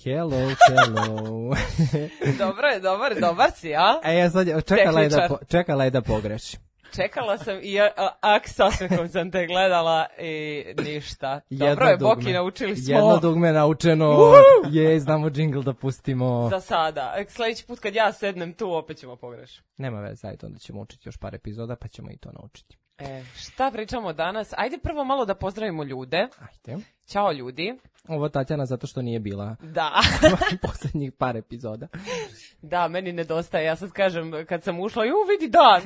Hello. Dobar si, a? Sad čekala je da pogreši. Čekala sam i sa osmehom sam te gledala i ništa. Dobro je, Boki, naučili smo. Jedno dugme naučeno, znamo džingl da pustimo. Za sada. Sljedeći put kad ja sednem tu, opet ćemo pogrešiti. Nema veze, ajde, onda ćemo učiti još par epizoda, pa ćemo i to naučiti. Šta pričamo danas? Ajde prvo malo da pozdravimo ljude. Ajde. Ćao ljudi. Ovo Tatjana zato što nije bila posljednjih par epizoda. Da, meni nedostaje. Ja sad kažem, kad sam ušla, vidi dan.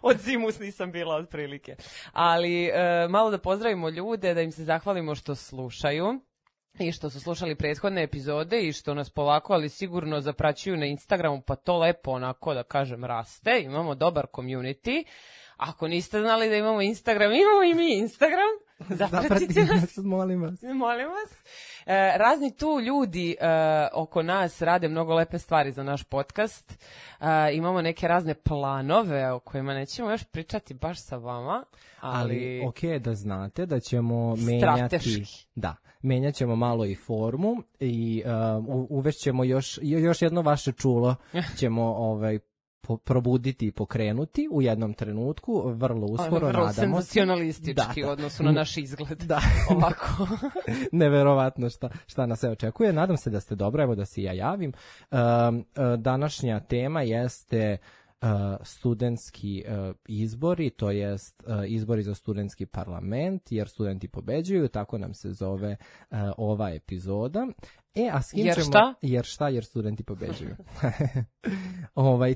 Od zimus nisam bila otprilike. Ali malo da pozdravimo ljude, da im se zahvalimo što slušaju. I što su slušali prethodne epizode i što nas polako, ali sigurno zapraćuju na Instagramu, pa to lepo onako da kažem raste. Imamo dobar community. Ako niste znali da imamo Instagram, imamo i mi Instagram. Zapratite nas. Molim vas. Razni tu ljudi oko nas rade mnogo lepe stvari za naš podcast. Imamo neke razne planove o kojima nećemo još pričati baš sa vama. Ali ok, da znate da ćemo menjati. Menjat ćemo malo i formu i uvešćemo još jedno vaše čulo ćemo probuditi i pokrenuti u jednom trenutku, vrlo uskoro, nadamo se. Vrlo senzacionalistički u odnosu na naš izgled. Da. Ovako. Neverovatno šta nas se očekuje. Nadam se da ste dobro, evo da se ja javim. Današnja tema jeste studentski izbori, to jest izbori za studentski parlament, jer studenti pobeđuju, tako nam se zove ova epizoda. A s kim ćemo... Jer studenti pobeđuju.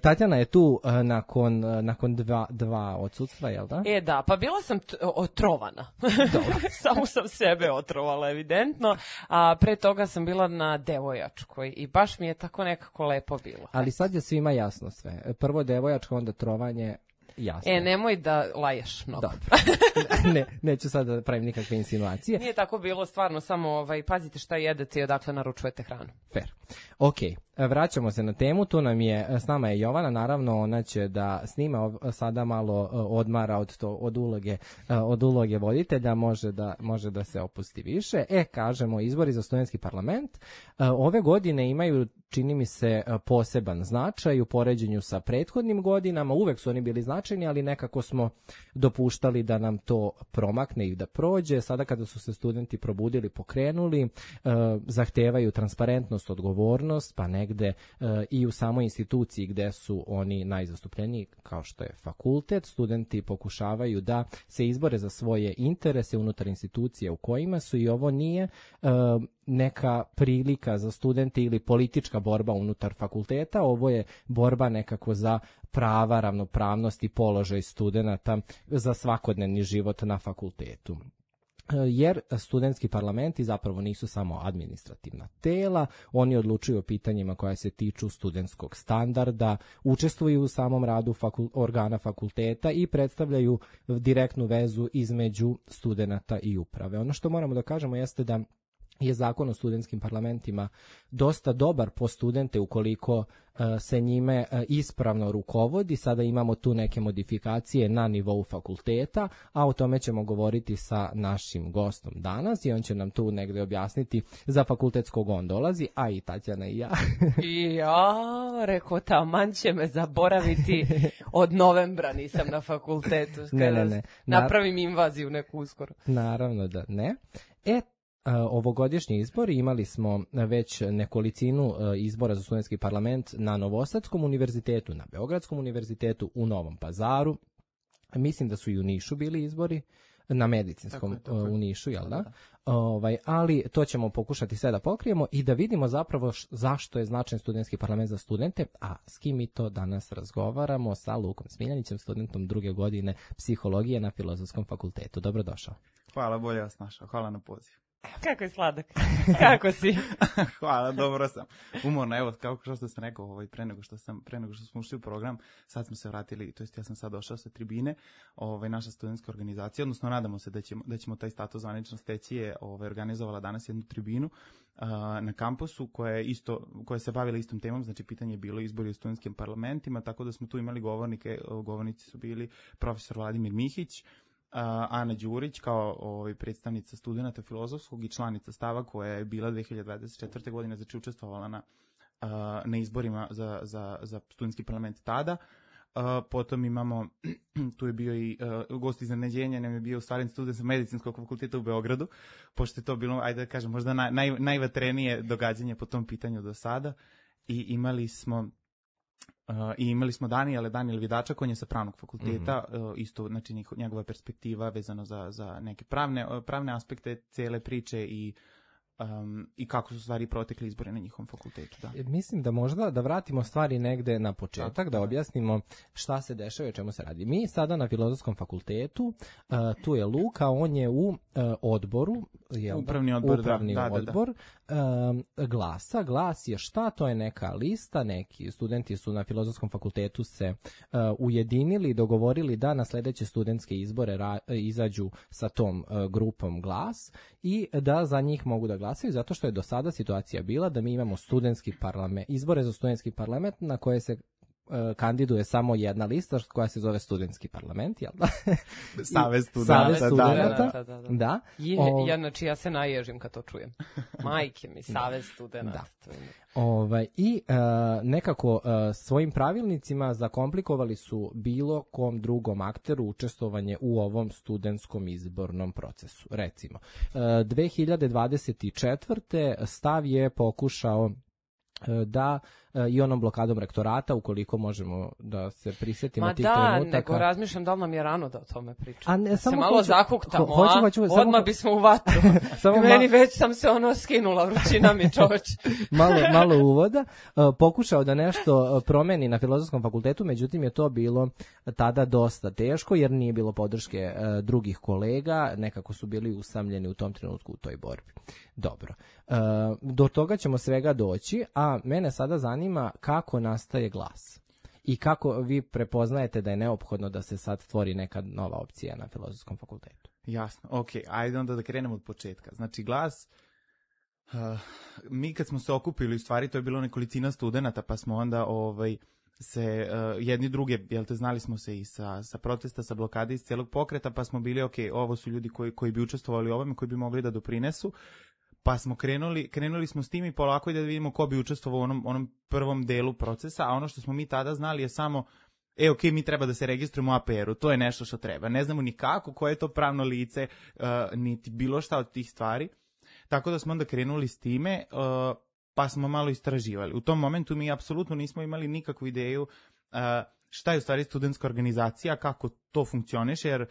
Tatjana je tu nakon dva odsudstva, jel da? Da, pa bila sam otrovana. Samo sam sebe otrovala, evidentno. A pre toga sam bila na Devojačkoj i baš mi je tako nekako lepo bilo. Ali sad je svima jasno sve. Prvo Devojačka, onda trovanje. Jasno. Nemoj da laješ mnogo. Dobro. Neću sad da pravim nikakve insinuacije. Nije tako bilo, stvarno, samo pazite šta jedete i odakle naručujete hranu. Fair. Ok, vraćamo se na temu, s nama je Jovana, naravno ona će da snima sada malo odmara od uloge voditelja, može da se opusti više. Kažemo, izbori za studentski parlament ove godine imaju, čini mi se, poseban značaj u poređenju sa prethodnim godinama, uvek su oni bili značajni, ali nekako smo dopuštali da nam to promakne i da prođe. Sada kada su se studenti probudili, pokrenuli, zahtevaju transparentnost, odgovornost, pa negde i u samoj instituciji gde su oni najzastupljeniji, kao što je fakultet, studenti pokušavaju da se izbore za svoje interese unutar institucije u kojima su, i ovo nije neka prilika za studente ili politička borba unutar fakulteta, ovo je borba nekako za prava, ravnopravnost i položaj studenata za svakodnevni život na fakultetu. Jer studentski parlamenti zapravo nisu samo administrativna tela, oni odlučuju o pitanjima koja se tiču studentskog standarda, učestvuju u samom radu organa fakulteta i predstavljaju direktnu vezu između studenata i uprave. Ono što moramo da kažemo jeste da je zakon o studentskim parlamentima dosta dobar po studente ukoliko se njime ispravno rukovodi. Sada imamo tu neke modifikacije na nivou fakulteta, a o tome ćemo govoriti sa našim gostom danas i on će nam tu negde objasniti za fakultetskog on dolazi, a i Tatjana i ja. Rekao, taman će me zaboraviti, od novembra nisam na fakultetu. Ne. Napravim invaziju neku uskoro. Naravno da ne. Ovogodišnji izbori imali smo već nekolicinu izbora za studentski parlament na Novosadskom univerzitetu, na Beogradskom univerzitetu, u Novom Pazaru. Mislim da su i u Nišu bili izbori, na Medicinskom tako je. U Nišu, jel da? Ali to ćemo pokušati sve da pokrijemo i da vidimo zapravo zašto je značajan studentski parlament za studente, a s kim mi to danas razgovaramo, sa Lukom Smiljanićem, studentom 2. godine psihologije na Filozofskom fakultetu. Dobrodošao. Hvala, bolje vas našao. Hvala na poziv. Kako je sladak. Kako si? Hvala, dobro sam. Umorno, evo, kao što sam rekao, pre nego što smo ušli u program, sad smo se vratili, to jest ja sam sad došao sa tribine, naša studentska organizacija, odnosno nadamo se da ćemo taj status zvanično steći, je organizovala danas jednu tribinu na kampusu koja se bavila istom temom, znači pitanje je bilo izbori u studentskim parlamentima, tako da smo tu imali govornike, govornici su bili profesor Vladimir Mihić, Ana Đurić kao predstavnica studenata filozofskog i članica stava koja je bila 2024. godine, znači učestvovala na izborima za studentski parlament tada. Potom imamo, tu je bio i gost iznenađenja, nam je bio stvarni student sa medicinskog fakulteta u Beogradu, pošto je to bilo, ajde da kažem, možda najvatrenije događanje po tom pitanju do sada. I imali smo Daniel Vidačak, on je sa pravnog fakulteta, isto, znači njegova perspektiva vezano za neke pravne aspekte cele priče i kako su stvari protekli izbore na njihovom fakultetu. Da. Mislim da možda da vratimo stvari negde na početak, da objasnimo šta se dešava i o čemu se radi. Mi sada na Filozofskom fakultetu, tu je Luka, on je u odboru, upravni odbor Glasa. Glas je šta? To je neka lista, neki studenti su na Filozofskom fakultetu se ujedinili i dogovorili da na sledeće studentske izbore izađu sa tom grupom Glas i da za njih mogu da glasaju, zato što je do sada situacija bila da mi imamo studentski parlament, izbore za studentski parlament na koje se kandiduje samo jedna lista koja se zove studentski parlament, jel da? Savez studenata. Da. Ja se naježim kad to čujem. Majke mi, Savez studenata. I nekako svojim pravilnicima zakomplikovali su bilo kom drugom akteru učestvovanje u ovom studentskom izbornom procesu. Recimo, 2024. stav je pokušao da i onom blokadom rektorata, ukoliko možemo da se prisjetimo tih trenutaka. Ma da, nego razmišljam da li nam je rano da o tome pričam. Se malo zakuktamo, odmah bismo u vatru. Meni već sam se skinula, vrućina mi čoveč. malo uvoda. Pokušao da nešto promeni na Filozofskom fakultetu, međutim je to bilo tada dosta teško, jer nije bilo podrške drugih kolega, nekako su bili usamljeni u tom trenutku u toj borbi. Dobro. Do toga ćemo svega doći, a mene sada zanima kako nastaje Glas i kako vi prepoznajete da je neophodno da se sad stvori neka nova opcija na Filozofskom fakultetu. Jasno, ok, ajde onda da krenemo od početka. Znači Glas, mi kad smo se okupili, u stvari to je bilo nekolicina studenata, pa smo onda se jedni druge, jel te, znali smo se i sa protesta, sa blokade, iz cijelog pokreta, pa smo bili, ok, ovo su ljudi koji bi učestvovali u ovome, koji bi mogli da doprinesu. Pa smo krenuli smo s tim i polako da vidimo ko bi učestvovao u onom prvom delu procesa, a ono što smo mi tada znali je samo, ok, mi treba da se registrujemo u APR-u, to je nešto što treba. Ne znamo ni kako, koje je to pravno lice, niti bilo šta od tih stvari. Tako da smo onda krenuli s time, pa smo malo istraživali. U tom momentu mi apsolutno nismo imali nikakvu ideju šta je u stvari studentska organizacija, kako to funkcioniše, jer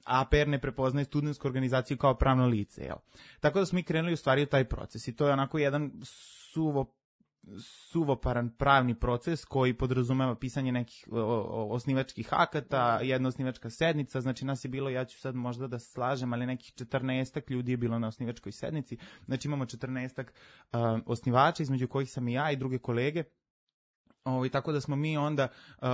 APR ne prepoznaje studentsku organizaciju kao pravno lice. Jel? Tako da smo mi krenuli u stvari u taj proces i to je onako jedan suvoparan pravni proces koji podrazumeva pisanje nekih osnivačkih akata, jedna osnivačka sednica, znači nas je bilo, ja ću sad možda da se slažem, ali nekih 14 ljudi je bilo na osnivačkoj sednici, znači imamo 14 osnivača, između kojih sam i ja i druge kolege. Tako da smo mi onda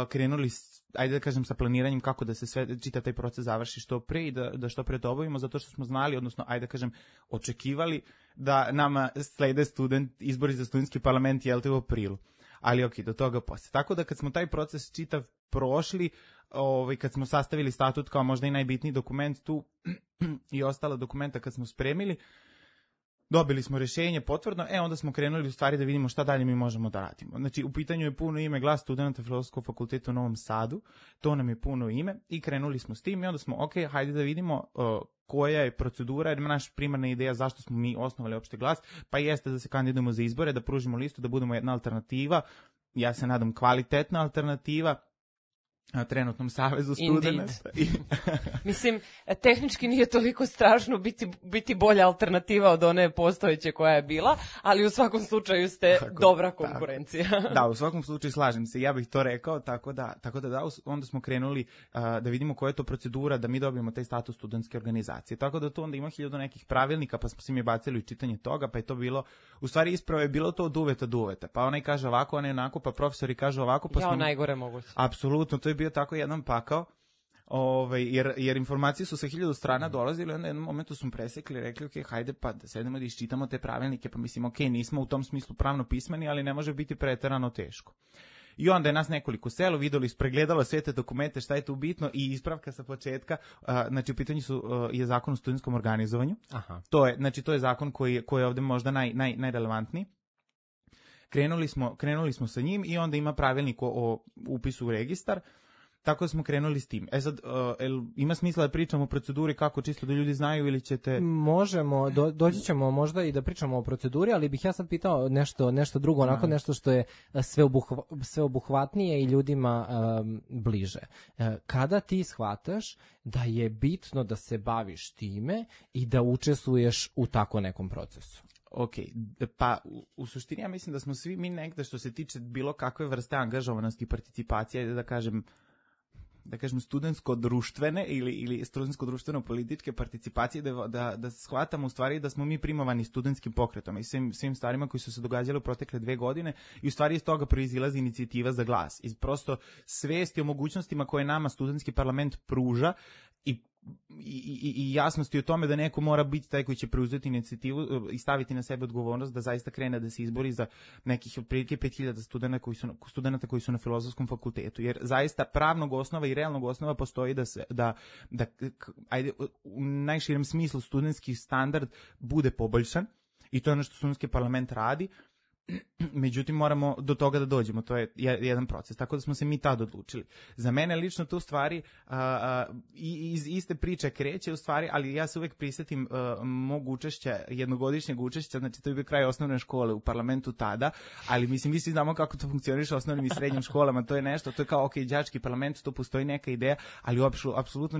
krenuli, ajde da kažem, sa planiranjem kako da se čita taj proces završi što pre i da što pre to obavimo, zato što smo znali, odnosno, ajde da kažem, očekivali da nama slede izbori za studentski parlament, jel te, u aprilu. Ali ok, do toga posle. Tako da kad smo taj proces čitav prošli, kad smo sastavili statut kao možda i najbitniji dokument tu i ostala dokumenta kad smo spremili, dobili smo rješenje potvrdno, onda smo krenuli u stvari da vidimo šta dalje mi možemo da radimo. Znači, u pitanju je puno ime Glas studenata Filozofskog fakulteta u Novom Sadu, to nam je puno ime i krenuli smo s tim i onda smo, ok, hajde da vidimo koja je procedura, jer naša primarna ideja zašto smo mi osnovali opšte Glas, pa jeste da se kandidujemo za izbore, da pružimo listu, da budemo jedna alternativa, ja se nadam kvalitetna alternativa, trenutnom savezu studenata. Mislim, tehnički nije toliko strašno biti bolja alternativa od one postojeće koja je bila, ali u svakom slučaju ste dobra konkurencija. Da, u svakom slučaju slažem se, ja bih to rekao, tako da onda smo krenuli da vidimo koja je to procedura, da mi dobijemo taj status studentske organizacije. Tako da to onda ima 1000 nekih pravilnika, pa smo se mi bacili u čitanje toga, pa je to bilo, u stvari ispravo je bilo to od uveta. Pa onaj kaže ovako, onaj onako, pa profesori kažu ovako, pa smo... najgore moguće. Apsolutno, to je bio tako jedan pakao, jer informacije su sa 1000 strana dolazile, onda jednom momentu smo presekli, rekli, ok, hajde pa da sedemo da iščitamo te pravilnike, pa mislim, ok, nismo u tom smislu pravno pismeni, ali ne može biti preterano teško. I onda je nas nekoliko selo, videli, pregledalo sve te dokumente, šta je tu bitno i ispravka sa početka, znači u pitanju je zakon o studentskom organizovanju. Aha. To je zakon koji je ovde možda najrelevantniji. Krenuli smo sa njim i onda ima pravilnik o upisu u registar. Tako da smo krenuli s tim. Sad, ima smisla da pričamo o proceduri kako čisto da ljudi znaju ili ćete... Možemo, doći ćemo možda i da pričamo o proceduri, ali bih ja sad pitao nešto drugo, onako nešto što je sveobuhvatnije i ljudima bliže. Kada ti shvataš da je bitno da se baviš time i da učestvuješ u tako nekom procesu? Ok, pa u suštini ja mislim da smo svi mi negde što se tiče bilo kakve vrste angažovanosti i participacije, da kažem studentsko-društvene ili studentsko-društveno-političke participacije, da shvatamo u stvari da smo mi primovani studentskim pokretom i svim stvarima koji su se događali u protekle 2 godine i u stvari iz toga proizilazi inicijativa za glas. Iz prosto svesti o mogućnostima koje nama studentski parlament pruža i jasnosti o tome da neko mora biti taj koji će preuzeti inicijativu i staviti na sebe odgovornost da zaista krene da se izbori za nekih otprilike 5000 studenata koji su na Filozofskom fakultetu. Jer zaista pravnog osnova i realnog osnova postoji da ajde, u najširem smislu studentski standard bude poboljšan i to je ono što studentski parlament radi. Međutim, moramo do toga da dođemo, to je jedan proces, tako da smo se mi tad odlučili. Za mene lično to u stvari iz iste priče kreće u stvari, ali ja se uvek prisjetim mog učešća, jednogodišnjeg učešća, znači to je bio kraj osnovne škole u parlamentu tada, ali mislim, mi svi znamo kako to funkcioniše u osnovnim i srednjim školama, to je nešto, to je kao, ok, đački parlament, to postoji neka ideja, ali apsolutno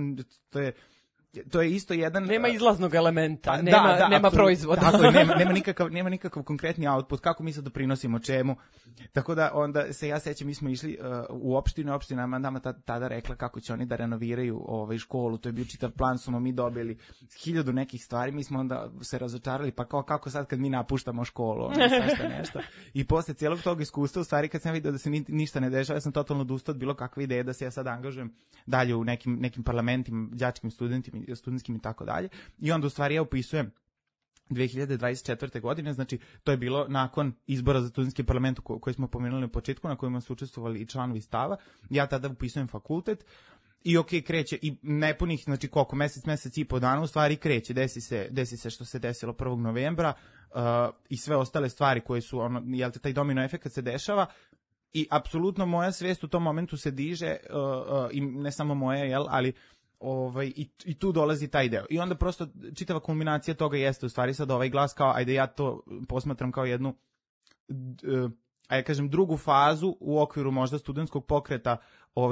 to je isto jedan... Nema izlaznog elementa, nema proizvoda. Tako je, nema nikakav konkretni output, kako mi se doprinosimo čemu. Tako da onda se ja sećam, mi smo išli u opštinu, opština nama tada rekla kako će oni da renoviraju školu, to je bio čitav plan, smo mi dobili 1000 nekih stvari, mi smo onda se razočarali, pa kako sad kad mi napuštamo školu, nešto. I posle cijelog tog iskustva, u stvari kad sam vidio da se ništa ne dešava, ja sam totalno odustao od bilo kakve ideje da se ja sad angažujem dalje u nekim parlamentima, đačkim studentskim i tako dalje. I onda u stvari ja upisujem 2024. godine, znači to je bilo nakon izbora za studentski parlament koji smo pomenuli na početku, na kojima su učestvovali i članovi stava. Ja tada upisujem fakultet i ok, kreće i nepunih, znači koliko, mesec i po dana u stvari kreće, desi se što se desilo 1. novembra i sve ostale stvari koje su, taj domino efekt se dešava. I apsolutno moja svest u tom momentu se diže, i ne samo moja, ali i tu dolazi taj deo. I onda prosto čitava kulminacija toga jeste u stvari sad ovaj glas kao, ajde ja to posmatram kao jednu, ajde kažem, drugu fazu u okviru možda studentskog pokreta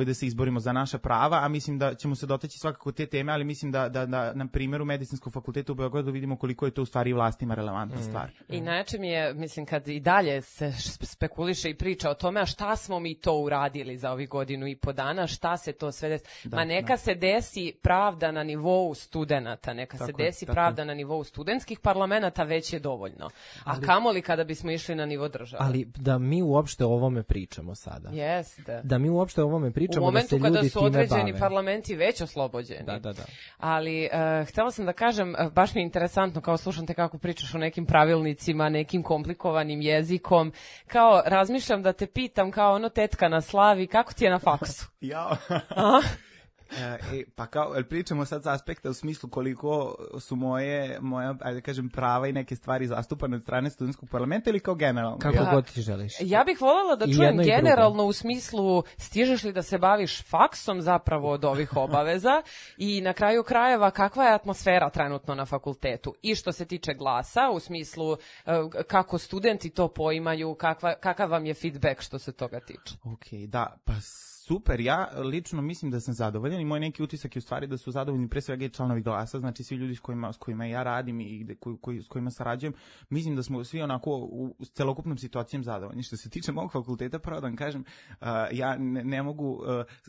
da se izborimo za naša prava, a mislim da ćemo se dotaći svakako te teme, ali mislim da na primjeru Medicinskog fakulteta u Beogradu vidimo koliko je to u stvari vlastima relevantna stvar. I najjače mi je, mislim, kad i dalje se spekuliše i priča o tome, a šta smo mi to uradili za ovih 1.5 godina, šta se to sve desi. Neka se desi pravda na nivou studenata, pravda na nivou studentskih parlamenta, već je dovoljno. A kamoli kada bismo išli na nivo države. Ali da mi uopšte o ovome pričamo sada. Jeste. Da mi uopšte o ovome pričamo, u momentu da se ljudi kada su time određeni bave. parlamenti već oslobođeni. Da. Ali htjela sam da kažem, baš mi je interesantno kao slušam te kako pričaš o nekim pravilnicima, nekim komplikovanim jezikom, kao razmišljam da te pitam kao tetka na slavi, kako ti je na faksu? Jao. Pa kao, pričamo sad sa aspekta u smislu koliko su moja, ajde kažem, prava i neke stvari zastupane od strane studentskog parlamenta ili kao generalno? Kako god ti želiš. Ja bih voljela da čujem generalno u smislu stižeš li da se baviš faksom zapravo od ovih obaveza i na kraju krajeva kakva je atmosfera trenutno na fakultetu i što se tiče glasa u smislu kako studenti to poimaju, kakav vam je feedback što se toga tiče. Ok, da, pa super, ja lično mislim da sam zadovoljan i moj neki utisak je u stvari da su zadovoljni pre svega i članovi glasa, znači svi ljudi s kojima ja radim i s kojima sarađujem, mislim da smo svi onako u celokupnom situacijom zadovoljni. Što se tiče mog fakulteta, pravo da vam kažem, ja ne mogu,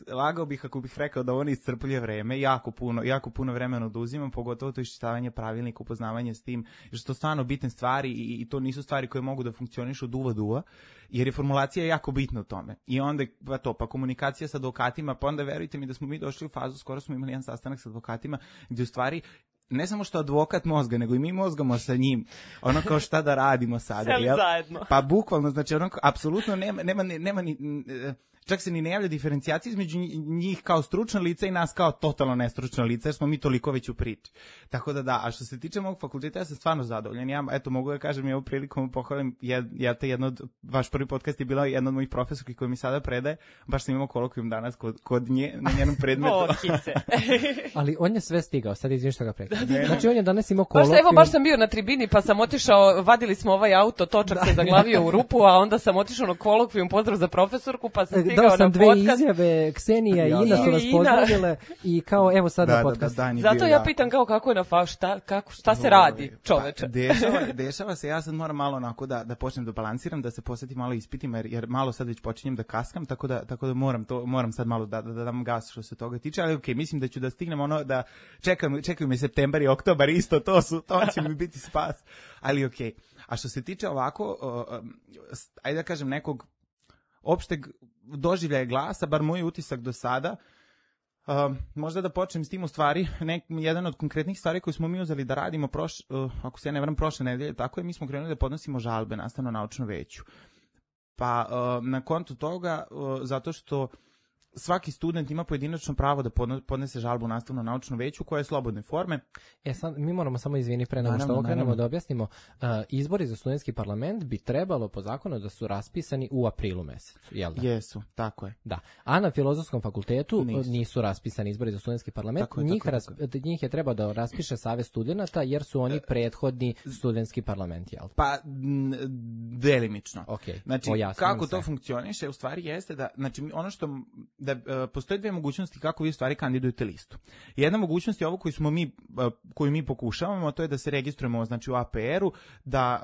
lagao bih ako bih rekao da ono iscrpljuje vreme, jako puno vremena oduzimam, pogotovo to iščitavanje pravilnika, upoznavanje s tim, jer su to stvarno bitne stvari i to nisu stvari koje mogu da funkcionišu od uva, jer je formulacija jako bitna u tome. I onda pa komunikacija sa advokatima, pa onda verujte mi da smo mi došli u fazu, skoro smo imali jedan sastanak sa advokatima, gdje u stvari ne samo što advokat mozga, nego i mi mozgamo sa njim. Ono kao šta da radimo sada. Seli zajedno. Pa bukvalno, znači ono apsolutno nema ni čak se ni ne javlja diferencijacija između njih kao stručna lica i nas kao totalno nestručna lica, jer smo mi toliko već u priči. Tako da, a što se tiče mog fakulteta, ja sam stvarno zadovoljan. Ja, eto, mogu da kažem, ja u prilikom pohvalim, vaš prvi podcast je bila jedna od mojih profesorki koja mi sada predaje, baš sam imao kolokvijum danas kod nje, na njenom predmetu. Ali on je sve stigao, sad izvim što ga prekada. Znači on je danas imao kolokvijum. Evo, baš sam bio na tribini, pa sam otišao, vadili smo ovaj auto, točak se zaglavio u rupu, a onda sam otišao na kolokvijum, pozdrav za profesorku, pa sam stigao dao sam na dve podcast. Izjave, Ksenija i Ina su vas pozdravile i kao evo sad na podcast. Zato ja pitam kao kako je na šta se radi, čoveče. Dešava se, ja sad moram malo onako da počnem da balansiram, da se posvetim malo ispitima, jer malo sad već počinjem da kaskam, tako da moram sad malo da dam gas što se toga tiče, ali okej, mislim da ću da stignem ono da čekaju me septembar i oktobar, isto to će mi biti spas, ali okej. A što se tiče ovako, ajde da kažem nekog opšteg doživljaja glasa, bar moj utisak do sada, možda da počnem s tim u stvari, jedan od konkretnih stvari koju smo mi uzeli da radimo, ako se ne varam, prošle nedelje, tako je, mi smo krenuli da podnosimo žalbe nastavno-naučnom veću. Pa na kontu toga, zato što svaki student ima pojedinačno pravo da podnese žalbu u nastavno-naučnom veću koja je slobodne forme. Sad mi moramo samo pre nego što okrenemo da objasnimo. Izbori za studentski parlament bi trebalo po zakonu da su raspisani u aprilu mesecu, jel da? Jesu, tako je. Da. A na Filozofskom fakultetu nisu raspisani izbori za studentski parlament. Njih je trebao da raspiše Savez studenata jer su oni prethodni studentski parlament, jel? Pa, delimično. Okay. Znači, kako to funkcioniše, u stvari jeste da, znači, ono što postoje dve mogućnosti kako vi u stvari kandidujete listu. Jedna mogućnost je ovo koju mi pokušavamo, to je da se registrujemo, znači u APR-u, da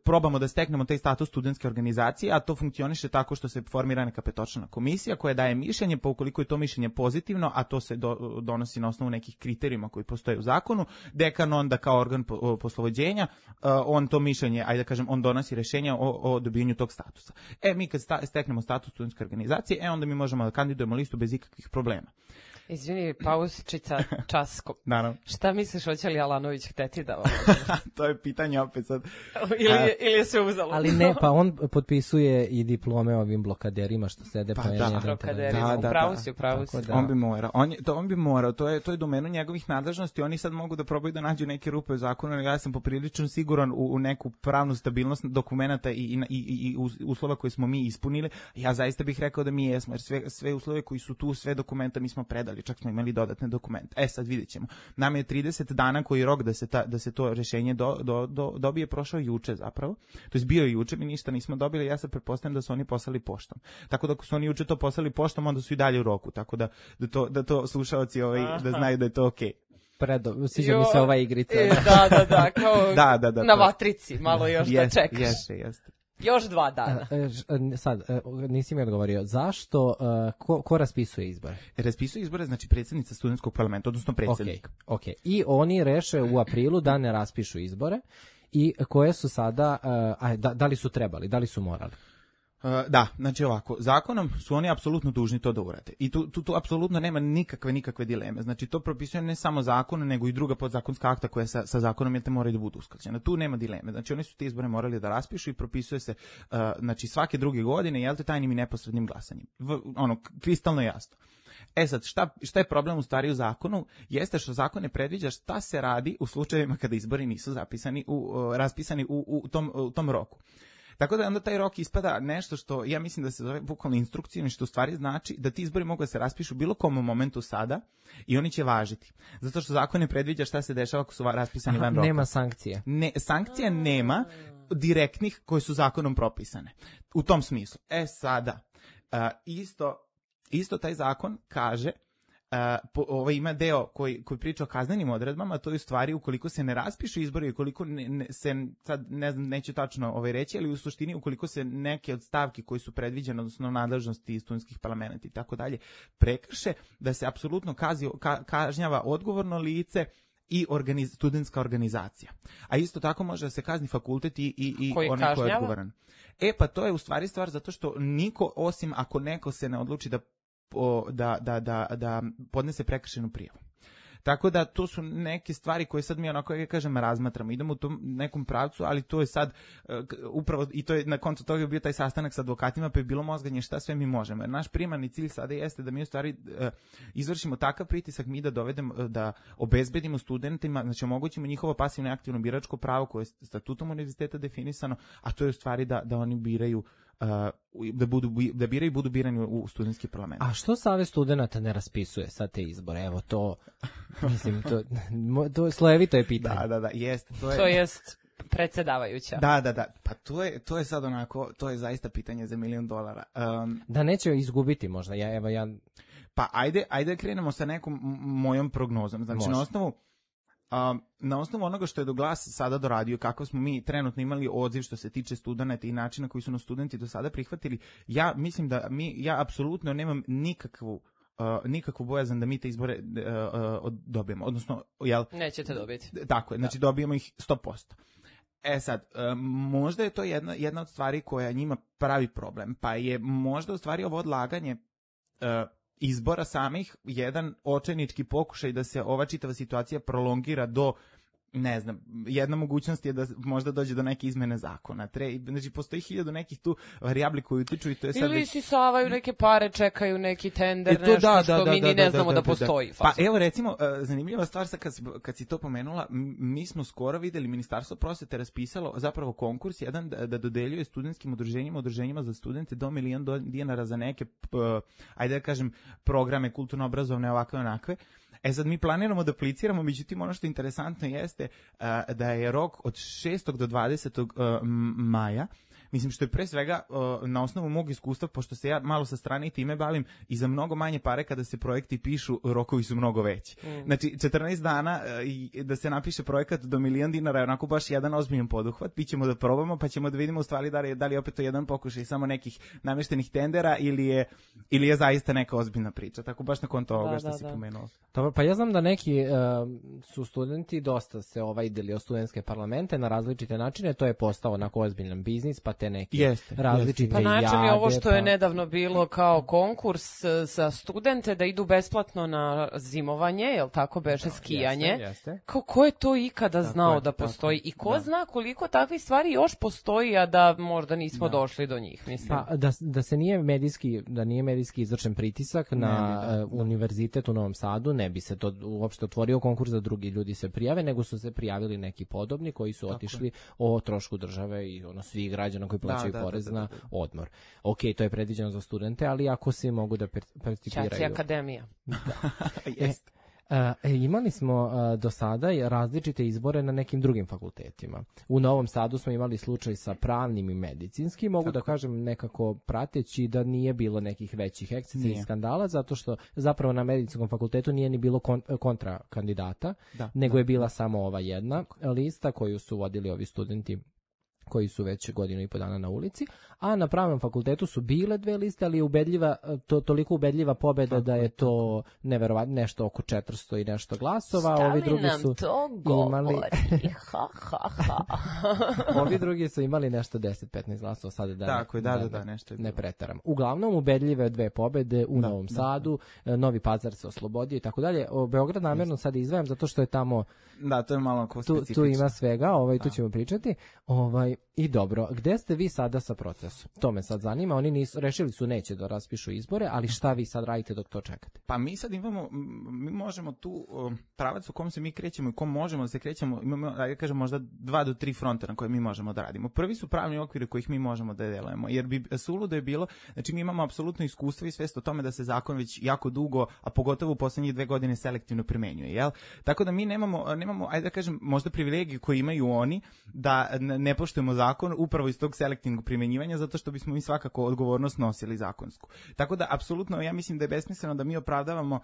probamo da steknemo taj status studentske organizacije, a to funkcioniše tako što se formira neka petočlana komisija koja daje mišljenje, pa ukoliko je to mišljenje pozitivno, a to se donosi na osnovu nekih kriterijuma koji postoje u zakonu, dekan onda kao organ poslovođenja, on to mišljenje, ajde da kažem, on donosi rešenja o dobijanju tog statusa. Mi kad steknemo status studentske organizacije, onda mi možemo da kandidujemo listu bez ikakvih problema. Izvini, pauzičica, časko. Naravno. Šta misliš, hoće li Alanović hteti da ovo? To je pitanje opet sad. Ili je sve uzalo? Ali ne, pa on potpisuje i diplome ovim blokaderima što sede pa blokaderima, upravo si. On bi morao, to je domenu njegovih nadležnosti, oni sad mogu da probaju da nađu neke rupe u zakonu, ja sam poprilično siguran u neku pravnu stabilnost dokumenta i uslova koje smo mi ispunili. Ja zaista bih rekao da mi jesmo, jer sve uslove koji su tu, sve dokumenta mi smo predali, čak smo imali dodatne dokumente. Sad vidjet ćemo. Nam je 30 dana koji je rok da se to rešenje dobije, prošao juče zapravo. To je bio juče, mi ništa nismo dobili, ja sad pretpostavljam da su oni poslali poštom. Tako da ako su oni juče to poslali poštom, onda su i dalje u roku. Tako da to slušaoci da znaju da je to okej. Sviđa mi se ova igrica. Da, kao na vatrici, malo još da čekaš. Jeste. Još 2 dana. Sad, nisi mi odgovorio. Zašto, ko raspisuje izbore? Raspisuje izbore, znači predsjednica studentskog parlamenta, odnosno predsjednik. Ok. I oni reše u aprilu da ne raspišu izbore i koje su sada, da li su trebali, da li su morali? Da, znači ovako, zakonom su oni apsolutno dužni to da urade. I tu apsolutno nema nikakve dileme. Znači to propisuje ne samo zakon, nego i druga podzakonska akta koja sa zakonom moraju da budu usklađena. Tu nema dileme. Znači oni su te izbore morali da raspišu i propisuje se znači svake druge godine, tajnim i neposrednim glasanjem. Kristalno jasno. Sad, šta je problem u stvari u zakonu? Jeste što zakon ne predviđa šta se radi u slučajevima kada izbori nisu raspisani u tom roku. Tako da onda taj rok ispada nešto što ja mislim da se zove bukvalno instrukcijom, što u stvari znači da ti izbori mogu da se raspišu bilo kom momentu sada i oni će važiti. Zato što zakon ne predviđa šta se dešava ako su raspisani van roka. Nema sankcije. Sankcija nema direktnih koje su zakonom propisane. U tom smislu. Sada, isto taj zakon kaže, ima deo koji priča o kaznenim odredbama, to je u stvari ukoliko se ne raspišu izbori, ukoliko sad ne znam, neću tačno reći, ali u suštini ukoliko se neke od stavki koji su predviđene, odnosno nadležnosti studentskih parlamenta i tako dalje, prekrše, da se apsolutno kažnjava odgovorno lice i studentska organizacija. A isto tako može da se kazni fakultet i onaj ko je odgovoran. Pa to je u stvari stvar zato što niko, osim ako neko se ne odluči da podnese prekršajnu prijavu. Tako da to su neke stvari koje sad mi onako, ja kažem, razmatramo. Idemo u tom nekom pravcu, ali to je sad upravo, i to je na koncu toga bio taj sastanak sa advokatima, pa je bilo mozganje šta sve mi možemo. Jer naš primarni cilj sada jeste da mi u stvari izvršimo takav pritisak, mi da dovedemo, da obezbedimo studentima, znači omogućimo njihovo pasivno i aktivno biračko pravo koje je statutom univerziteta definisano, a to je u stvari da oni biraju da biraju i budu birani u studentski parlament. A što Savez studenata ne raspisuje sad te izbore? Evo to, mislim, to slojevito je pitanje. Da, jeste. To jest predsjedavajuća. Da, pa to je sad onako, to je zaista pitanje za $1.000.000. Da neće izgubiti možda, Pa ajde krenemo sa nekom mojom prognozom. Znači na osnovu onoga što je do Glas sada doradio, kako smo mi trenutno imali odziv što se tiče studenata i načina koji su nas studenti do sada prihvatili, ja mislim da ja apsolutno nemam nikakvu bojazan da mi te izbore dobijemo. Odnosno, nećete dobiti. Tako je, znači dobijemo ih 100%. Sad, možda je to jedna od stvari koja njima pravi problem, pa je možda u stvari ovo odlaganje izbora samih jedan očajnički pokušaj da se ova čitava situacija prolongira do, ne znam, jedna mogućnost je da možda dođe do neke izmene zakona. Znači, postoji 1000 nekih tu varijabli koji utiču i to je sad... Ili sisavaju neke pare, čekaju neki tender, nešto što mi ni ne znamo da postoji. Pa evo, recimo, zanimljiva stvar sad kad si to pomenula, mi smo skoro videli, Ministarstvo prosvete raspisalo zapravo konkurs jedan da dodeljuje studentskim udruženjima za studente do $1.000.000 za neke, ajde da kažem, programe kulturno-obrazovne, ovakve onakve. Sad mi planiramo da apliciramo, međutim ono što je interesantno jeste da je rok od 6. do 20. maja, mislim što je pre svega na osnovu mog iskustva, pošto se ja malo sa strane i time bavim, i za mnogo manje pare kada se projekti pišu, rokovi su mnogo veći. Znači 14 dana da se napiše projekat do $1.000.000 je onako baš jedan ozbiljan poduhvat, mi ćemo da probamo pa ćemo da vidimo u stvari da li je opet to jedan pokušaj samo nekih namještenih tendera ili je zaista neka ozbiljna priča, tako baš nakon toga što si pomenuo. Dobro, pa ja znam da neki su studenti dosta se ideli o studentske parlamente na različite načine, to je postao onako ozbiljan biznis, pa te neke različite jade. Pa način je ovo što je nedavno bilo kao konkurs za studente da idu besplatno na zimovanje, jel tako beše, skijanje. Jeste. Ko je to ikada znao da postoji i ko zna koliko takvih stvari još postoji, a da možda nismo došli do njih, mislim. Pa da nije medijski izvršen pritisak na univerzitet u Novom Sadu, ne bi se to uopšte otvorio konkurs da drugi ljudi se prijave, nego su se prijavili neki podobni koji su otišli o trošku države i svih građana koji plaćaju porez na odmor. Ok, to je predviđeno za studente, ali ako svi mogu da participiraju. Čaci akademija. Jeste. Imali smo do sada različite izbore na nekim drugim fakultetima. U Novom Sadu smo imali slučaj sa pravnim i medicinskim, mogu da kažem nekako prateći da nije bilo nekih većih ekscesa i skandala, zato što zapravo na medicinskom fakultetu nije ni bilo kontra kandidata, nego je bila samo ova jedna lista koju su vodili ovi studenti koji su već 1.5 godina na ulici, a na pravnom fakultetu su bile 2 liste, ali je toliko ubedljiva pobeda da je to neverovatno, nešto oko 400 i nešto glasova. Šta ovi drugi su to imali ovi drugi su imali nešto 10-15 glasova, sada da nešto ne pretaram. Uglavnom ubedljive 2 pobede u Novom Sadu, Novi Pazar se oslobodio i tako dalje. Beograd namjerno sad izdvajam zato što je tamo to je malo specifično. Tu ima svega, tu ćemo pričati. I dobro, gde ste vi sada sa procesom? To me sad zanima, oni rešili su neće da raspišu izbore, ali šta vi sad radite dok to čekate? Pa mi sad mi možemo tu pravac u kom se mi krećemo i kom možemo da se krećemo, imamo, da kažem, možda 2 do 3 fronta na koje mi možemo da radimo. Prvi su pravni okviri kojih mi možemo da delujemo, jer bi suludo je bilo, znači mi imamo apsolutno iskustvo i svest o tome da se zakon već jako dugo, a pogotovo u poslednjih 2 godine selektivno primenjuje, jel? Tako da mi nemamo, ajde da kažem, možda privilegiju koju imaju oni, da ne poštujemo zakon upravo iz tog selektivnog primenjivanja, zato što bismo mi svakako odgovornost nosili zakonsku. Tako da, apsolutno, ja mislim da je besmisleno da mi opravdavamo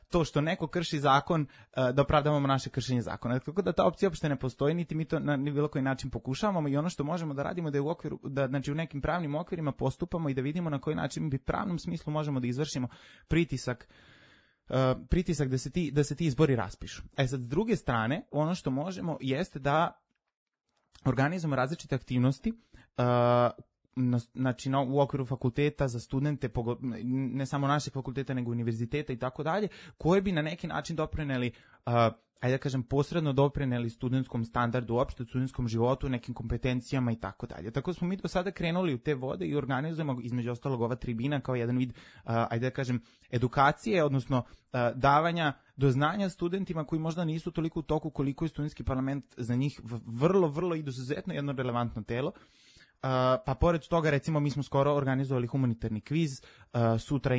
to što neko krši zakon, da opravdavamo naše kršenje zakona. Tako da ta opcija uopšte ne postoji, niti mi to na bilo koji način pokušavamo, i ono što možemo da radimo da je znači u nekim pravnim okvirima postupamo i da vidimo na koji način bi pravnom smislu možemo da izvršimo pritisak da se ti izbori raspišu. Sad, s druge strane, ono što možemo jeste da organizujemo različite aktivnosti znači u okviru fakulteta za studente, ne samo našeg fakulteta nego univerziteta i tako dalje, koje bi na neki način doprineli, ajde da kažem, posredno doprineli studentskom standardu, uopšte studentskom životu, nekim kompetencijama i tako dalje. Tako smo mi do sada krenuli u te vode i organizujemo između ostalog ova tribina kao jedan vid, ajde da kažem, edukacije, odnosno davanja do znanja studentima koji možda nisu toliko u toku koliko je studentski parlament za njih vrlo, vrlo izuzetno jedno relevantno telo. Pa pored toga, recimo, mi smo skoro organizovali humanitarni kviz, sutra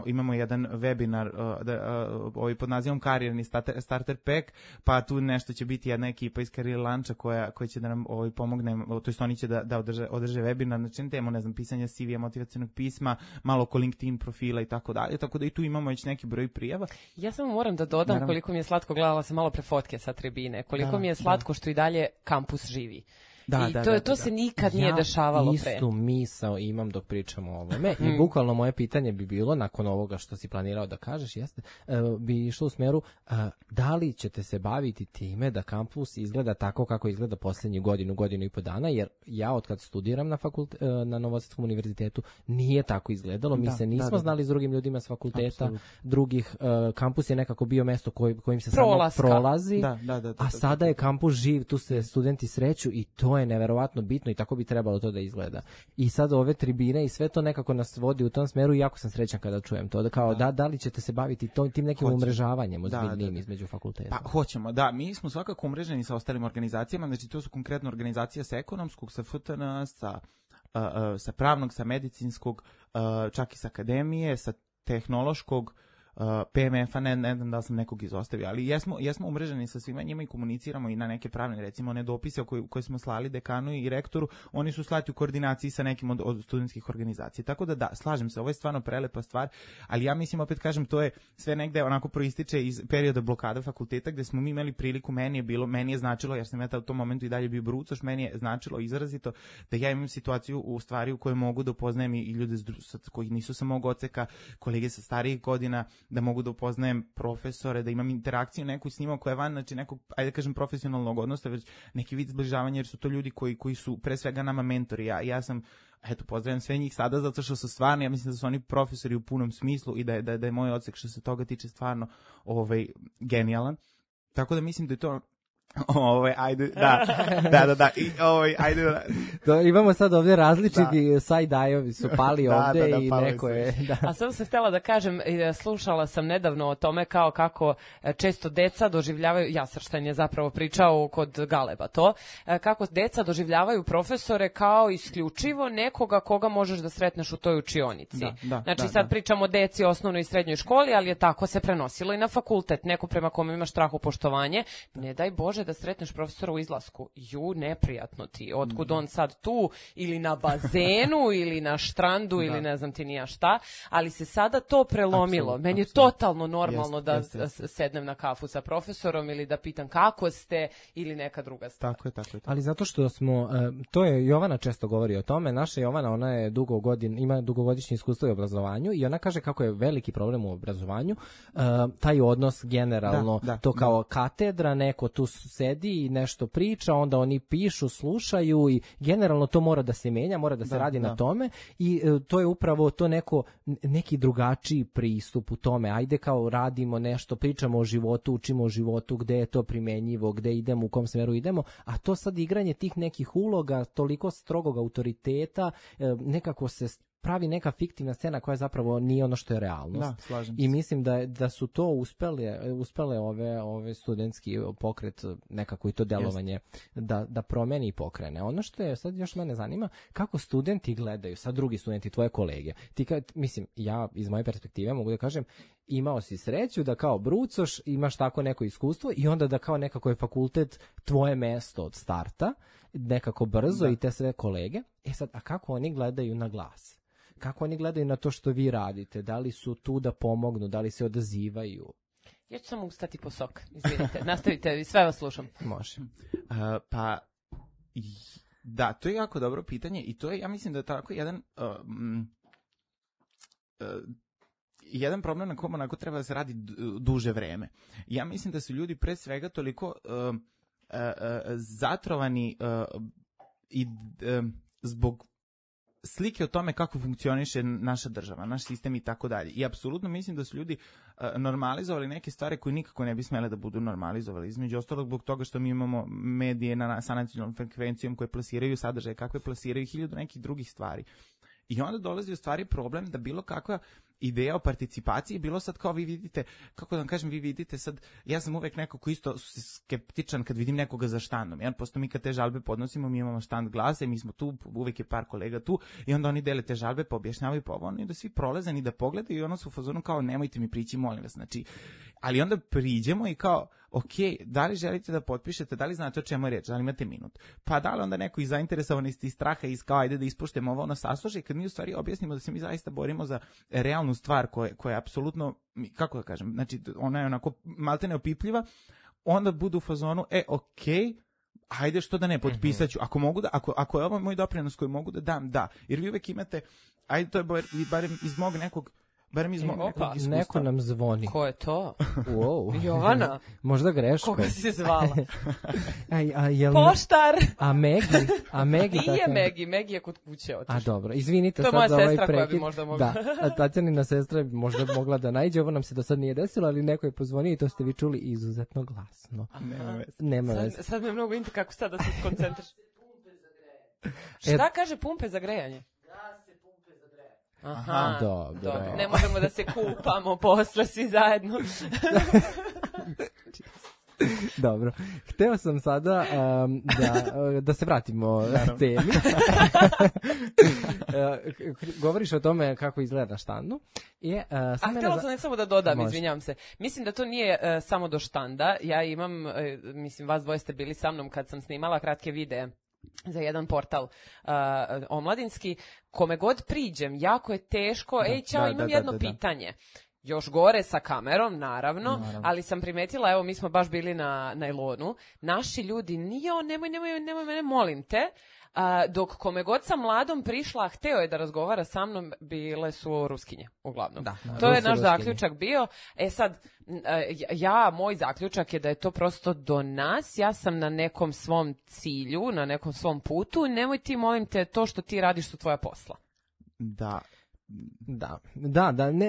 imamo jedan webinar pod nazivom Karijerni starter pack, pa tu nešto će biti jedna ekipa iz Career Luncha koja će da nam pomogne, to jest oni će da održe webinar, znači temu, ne znam, pisanja CV-a, motivacionog pisma, malo oko LinkedIn profila i tako dalje, tako da i tu imamo već neki broj prijava. Ja samo moram da dodam koliko mi je slatko, gledala sam malo pre fotke sa tribine, koliko mi je slatko što i dalje kampus živi. To se nikad nije dešavalo pre. Ja istu misao imam dok pričamo o ovome i bukvalno moje pitanje bi bilo, nakon ovoga što si planirao da kažeš, jeste, bi išlo u smeru, da li ćete se baviti time da kampus izgleda tako kako izgleda posljednju godinu i po dana, jer ja od kad studiram na Novosadskom univerzitetu nije tako izgledalo, mi se nismo znali s drugim ljudima s fakulteta, drugih, kampus je nekako bio mesto kojim se samo prolazi, a sada je kampus živ, tu se studenti sreću i to je neverovatno bitno i tako bi trebalo to da izgleda. I sad ove tribine i sve to nekako nas vodi u tom smeru i jako sam srećan kada čujem to. Da li ćete se baviti tim nekim umrežavanjem ozbiljnim između fakulteta? Pa hoćemo, da. Mi smo svakako umreženi sa ostalim organizacijama, znači to su konkretno organizacija sa ekonomskog, sa FTN, sa pravnog, sa medicinskog, čak i sa akademije, sa tehnološkog, PMF-a, ne znam da sam nekog izostavio, ali jesmo umreženi sa svima njima i komuniciramo i na neke pravne, recimo one dopise koje smo slali dekanu i rektoru, oni su slati u koordinaciji sa nekim od studentskih organizacija. Tako da slažem se, ovo je stvarno prelepa stvar, ali ja mislim, opet kažem, to je sve negde onako proističe iz perioda blokada fakulteta gde smo mi imali priliku, meni je značilo, jer sam ja u tom momentu i dalje bio brucoš, meni je značilo izrazito da ja imam situaciju u stvari u kojoj mogu da upoznajem i ljude koji nisu sa mog odseka, kolege sa starijih godina, da mogu da upoznajem profesore, da imam interakciju neku s njima koja je van, znači nekog, ajde da kažem, profesionalnog odnosa, već neki vid zbližavanja, jer su to ljudi koji su pre svega nama mentori. Ja sam, pozdravljam sve njih sada zato što su stvarno, ja mislim da su oni profesori u punom smislu i da je moj odsek što se toga tiče stvarno genijalan. Tako da mislim da je to ajde, da. I, ajde, da. Imamo sad ovdje različiti side-eye-ovi su pali ovdje i neko je... A sam se htjela da kažem, slušala sam nedavno o tome kako često deca doživljavaju, Jasrštajn je zapravo pričao kod Galeba to, kako deca doživljavaju profesore kao isključivo nekoga koga možeš da sretneš u toj učionici. Znači sad pričamo o deci, osnovnoj i srednjoj školi, ali je tako se prenosilo i na fakultet, neko prema kome imaš strahopoštovanje, ne daj Bože da sretneš profesora u izlasku. Neprijatno ti. Otkud on sad tu ili na bazenu ili na štrandu ili ne znam ti nija šta, ali se sada to prelomilo. Meni je totalno normalno da sednem na kafu sa profesorom ili da pitam kako ste ili neka druga stvar. Tako je. Ali zato što smo, to je Jovana često govori o tome, naša Jovana, ona je ima dugogodišnje iskustvo u obrazovanju i ona kaže kako je veliki problem u obrazovanju, taj odnos generalno, kao katedra, neko tu sedi i nešto priča, onda oni pišu, slušaju i generalno to mora da se menja, mora da se radi na tome i to je upravo to neki drugačiji pristup u tome. Ajde kao radimo nešto, pričamo o životu, učimo o životu, gde je to primenjivo, gde idemo, u kom smeru idemo, a to sad igranje tih nekih uloga, toliko strogog autoriteta, nekako se pravi neka fiktivna scena koja zapravo nije ono što je realnost. Slažem se. I mislim da su to uspele ove studentski pokret nekako i to delovanje da promeni i pokrene. Ono što je sad još mene zanima, kako studenti gledaju, sad drugi studenti, tvoje kolege. Ja iz moje perspektive mogu da kažem, imao si sreću da kao brucoš imaš tako neko iskustvo i onda da kao nekako je fakultet tvoje mesto od starta, nekako brzo i te sve kolege. Sad, a kako oni gledaju na glas? Kako oni gledaju na to što vi radite? Da li su tu da pomognu? Da li se odazivaju? Ja ću samo ustati po sok. Izvinite, nastavite, sve vas slušam. Može. Da, to je jako dobro pitanje i to je, ja mislim da je tako jedan problem na kom onako treba da se radi duže vreme. Ja mislim da su ljudi pre svega toliko zatrovani i zbog slike o tome kako funkcioniše naša država, naš sistem i tako dalje. I apsolutno mislim da su ljudi normalizovali neke stvari koje nikako ne bi smele da budu normalizovali. Između ostalog zbog toga što mi imamo medije sa nacionalnom frekvencijom koje plasiraju sadržaje, kakve plasiraju 1000 nekih drugih stvari. I onda dolazi u stvari problem da bilo kakva ideja o participaciji, bilo sad kao vi vidite, kako da vam kažem, vi vidite sad, ja sam uvek neko ko isto skeptičan kad vidim nekoga za štandom, jer posto mi kad te žalbe podnosimo, mi imamo štand glasa i mi smo tu, uvek je par kolega tu i onda oni dele te žalbe, pa objašnjavaju pa ovo, oni da svi prolazani da pogledaju i ono su u fazonu kao nemojte mi prići, molim vas, znači, ali onda priđemo i kao, ok, da li želite da potpišete, da li znate o čemu je reč, da li imate minut, pa da li onda neko iz zainteresovanosti, iz straha, iz kao ajde da ispuštemo ovo, ono sasluša i kad mi u stvari objasnimo da se mi zaista borimo za realnu stvar koja je apsolutno, kako da kažem, znači ona je onako maltene opipljiva, onda budu u fazonu, okej, ajde što da ne, potpisat ću, ako mogu da, ako je ovo moj doprinos koji mogu da dam, da, jer vi uvek imate, ajde to je barem iz mog nekog iskustva. Neko nam zvoni. Ko je to? Wow. Jovana. Možda greško. Koga si se zvala? Poštar. A Megi? Nije Megi je kod kuće otišla. A dobro, izvinite sad za ovaj prekid. To je moja sestra koja bi možda mogla. Da, Tatjanina sestra bi možda mogla da najde, ovo nam se do sad nije desilo, ali neko je pozvonio i to ste vi čuli izuzetno glasno. Nema veze. Sad me mnogo inti kako sad da se skoncentriš. Šta kaže pumpe za grejanje? Aha, dobro. Ne možemo da se kupamo posle svi zajedno. Dobro. Hteo sam sada da se vratimo temi. Govoriš o tome kako izgleda na štandu. Htjela sam samo da dodam, izvinjavam se. Mislim da to nije samo do štanda. Ja imam, mislim, vas dvoje ste bili sa mnom kad sam snimala kratke videe za jedan portal omladinski, kome god priđem, jako je teško, imam jedno pitanje. Još gore sa kamerom, naravno, ali sam primetila, evo, mi smo baš bili na najlonu, naši ljudi, nemoj mene, molim te, dok kome god sam mladom prišla, hteo je da razgovara sa mnom, bile su Ruskinje, uglavnom. To je naš zaključak bio. Sad, moj zaključak je da je to prosto do nas, ja sam na nekom svom cilju, na nekom svom putu, nemoj ti, molim te, to što ti radiš su tvoja posla. Da,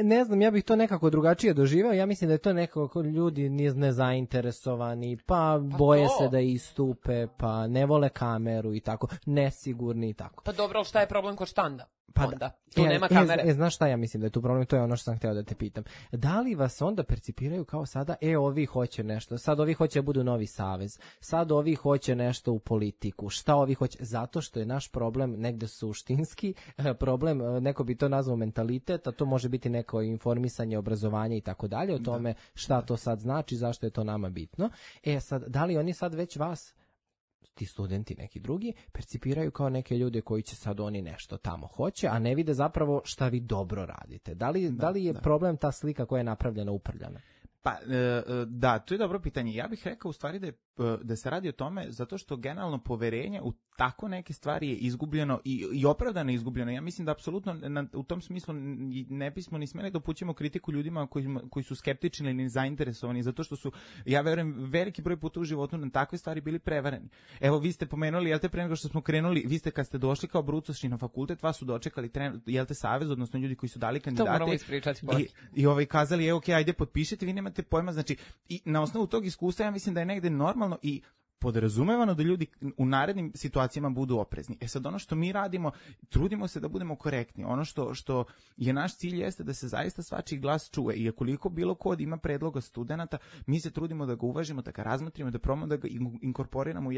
ne znam, ja bih to nekako drugačije doživao, ja mislim da je to nekako ljudi nezainteresovani, pa boje se da istupe, pa ne vole kameru i tako, nesigurni i tako. Pa dobro, šta je problem kod štanda? Pa onda, tu nema kamere. Znaš šta ja mislim da je tu problem, to je ono što sam hteo da te pitam. Da li vas onda percipiraju kao sada, ovi hoće nešto, sad ovi hoće da budu novi savez, sad ovi hoće nešto u politiku, šta ovi hoće, zato što je naš problem negde suštinski, problem, neko bi to nazvao mentalitet, a to može biti neko informisanje, obrazovanje i tako dalje, o tome šta to sad znači, zašto je to nama bitno. Sad, da li oni sad već vas, ti studenti neki drugi, percipiraju kao neke ljude koji će sad oni nešto tamo hoće, a ne vide zapravo šta vi dobro radite. Da li je problem ta slika koja je napravljena uprljana? Pa, to je dobro pitanje. Ja bih rekao u stvari da se radi o tome zato što generalno poverenje u tako neke stvari je izgubljeno i opravdano izgubljeno. Ja mislim da apsolutno u tom smislu ne bismo ni smeli da upućujemo kritiku ljudima koji su skeptični ili zainteresovani, zato što su, ja verujem, veliki broj puta u životu na takve stvari bili prevareni. Evo, vi ste pomenuli, jel te, pre nego što smo krenuli, vi ste kad ste došli kao brucoši na fakultet, vas su dočekali, jel te, savez, odnosno ljudi koji su dali kandidate i kazali, ajde potpišite, vi nemate pojma, znači, i na osnovu tog iskustva ja mislim da je negde normalno i podrazumevano da ljudi u narednim situacijama budu oprezni. Sad ono što mi radimo, trudimo se da budemo korektni. Ono što je naš cilj jeste da se zaista svačiji glas čuje i koliko bilo ko ima predloga studenata, mi se trudimo da ga uvažimo, da ga razmotrimo, da probamo da ga inkorporiramo u